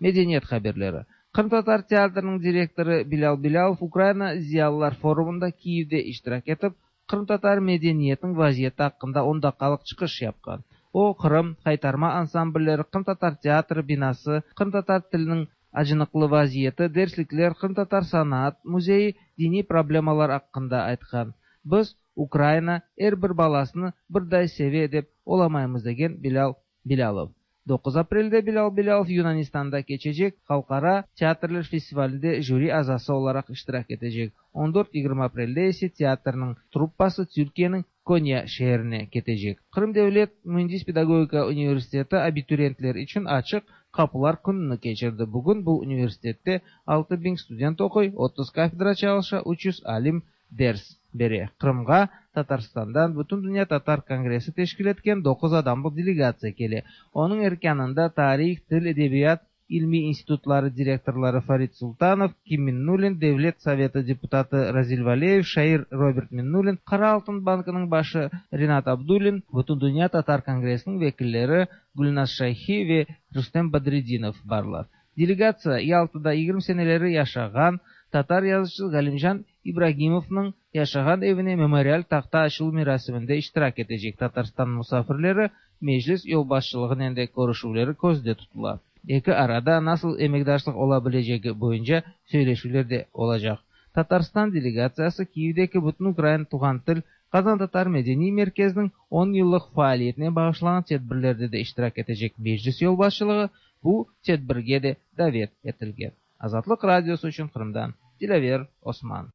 Medeniyet haberleri. Qırımtatar teatriniñ direktorı Bilâl Bilâlov Ukraina ziyalılar forumında Kiyevde iştirak etip, qırımtatar medeniyetiniñ vaziyeti aqqında on daqqalıq çıqış yapqan. O, Qırım, Haytarma ansamblleri, qırımtatar teatri binası, qırımtatar tiliniñ acınıqlı vaziyeti, derslikler, qırımtatar sanat müzeyi, diniy problemalar aqqında aytqan. Biz, Ukraina er bir balasını birday seve dep olamaymız, degen Bilâl Bilâlov. 9 aprelde Bilâl Bilâlov Yunanistanda keçecek Halqara teatrler festivalinde jüri azası olaraq iştirak etecek. On dört-yigirmi aprelde ise teatrniñ truppası Türkiyeniñ Konya şeerine ketecek. Qırım devlet müendis-pedagogika universiteti abituriyentler içün açıq qapılar kününi keçirdi. Bugün bu universitette 6000 student oquy, 30 kafedra çalışa, 300 alim ders bere. Qırımğa Tatarstandan Bütündünya tatar kongressi teşkil etken doquz adamlıq delegatsiya kele. Onıñ erkânında tarih, til, edebiyat ilmiy institutları direktorları Farid Sultanov, Kim Minnulin, Devlet sovetı deputatı Razil Valeyev, şair Robert Minnulin, Qara altın bankınıñ başı Rinat Abdullin, Bütündünya tatar kongressiniñ vekilleri Gülnaz Şayhi ve Rustem Badredinov barlar. Delegatsiya Yaltada 20 seneleri yaşağan tatar yazıcısı Galimcan İbragimovnıñ yaşağan evine memorial tahta açıluv merasiminde iştirak etecek. Tatarstan musafirleri Meclis yolbaşçılığınen de körüşüvleri közde tutula. Eki arada nasıl emekdaşlıq ola bilecegi boyunca söyleşüvler de olacaq. Tatarstan delegatsiyası Kiyevdeki Bütünukrain tuvğan til qazantatar medeniy merkeziniñ on yıllıq faaliyetine bağışlanğan tedbirlerde de iştirak etecek. Meclis yolbaşçılığı bu tedbirge de davet etilgen. Azatlıq Radiosı içün Qırımdan Dilâver Osman.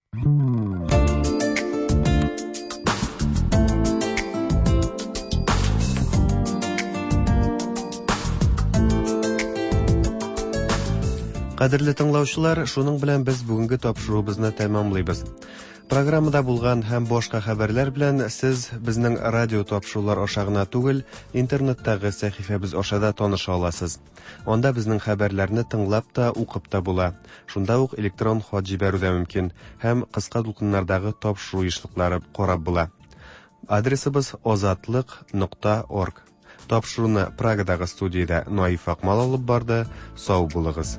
Кадерле тыңлаучылар, шуның белән без бүгенге тапшыруыбызны тәмамлыйбыз. Программада булган һәм башка хәбәрләр белән сез безнең радио тапшырулар аша гына түгел, интернеттагы сәхифәбез аша да таныша аласыз. Анда безнең хәбәрләрне тыңлап та, укып та була. Шунда ук электрон хат җибәрү дә мөмкин һәм кыска дулкыннардагы тапшыру ешлыклары карап була. Адресыбыз озатлык.орг. Тапшыруны Прагадагы студиядә Наиф Акмал алып барды. Сау булыгыз.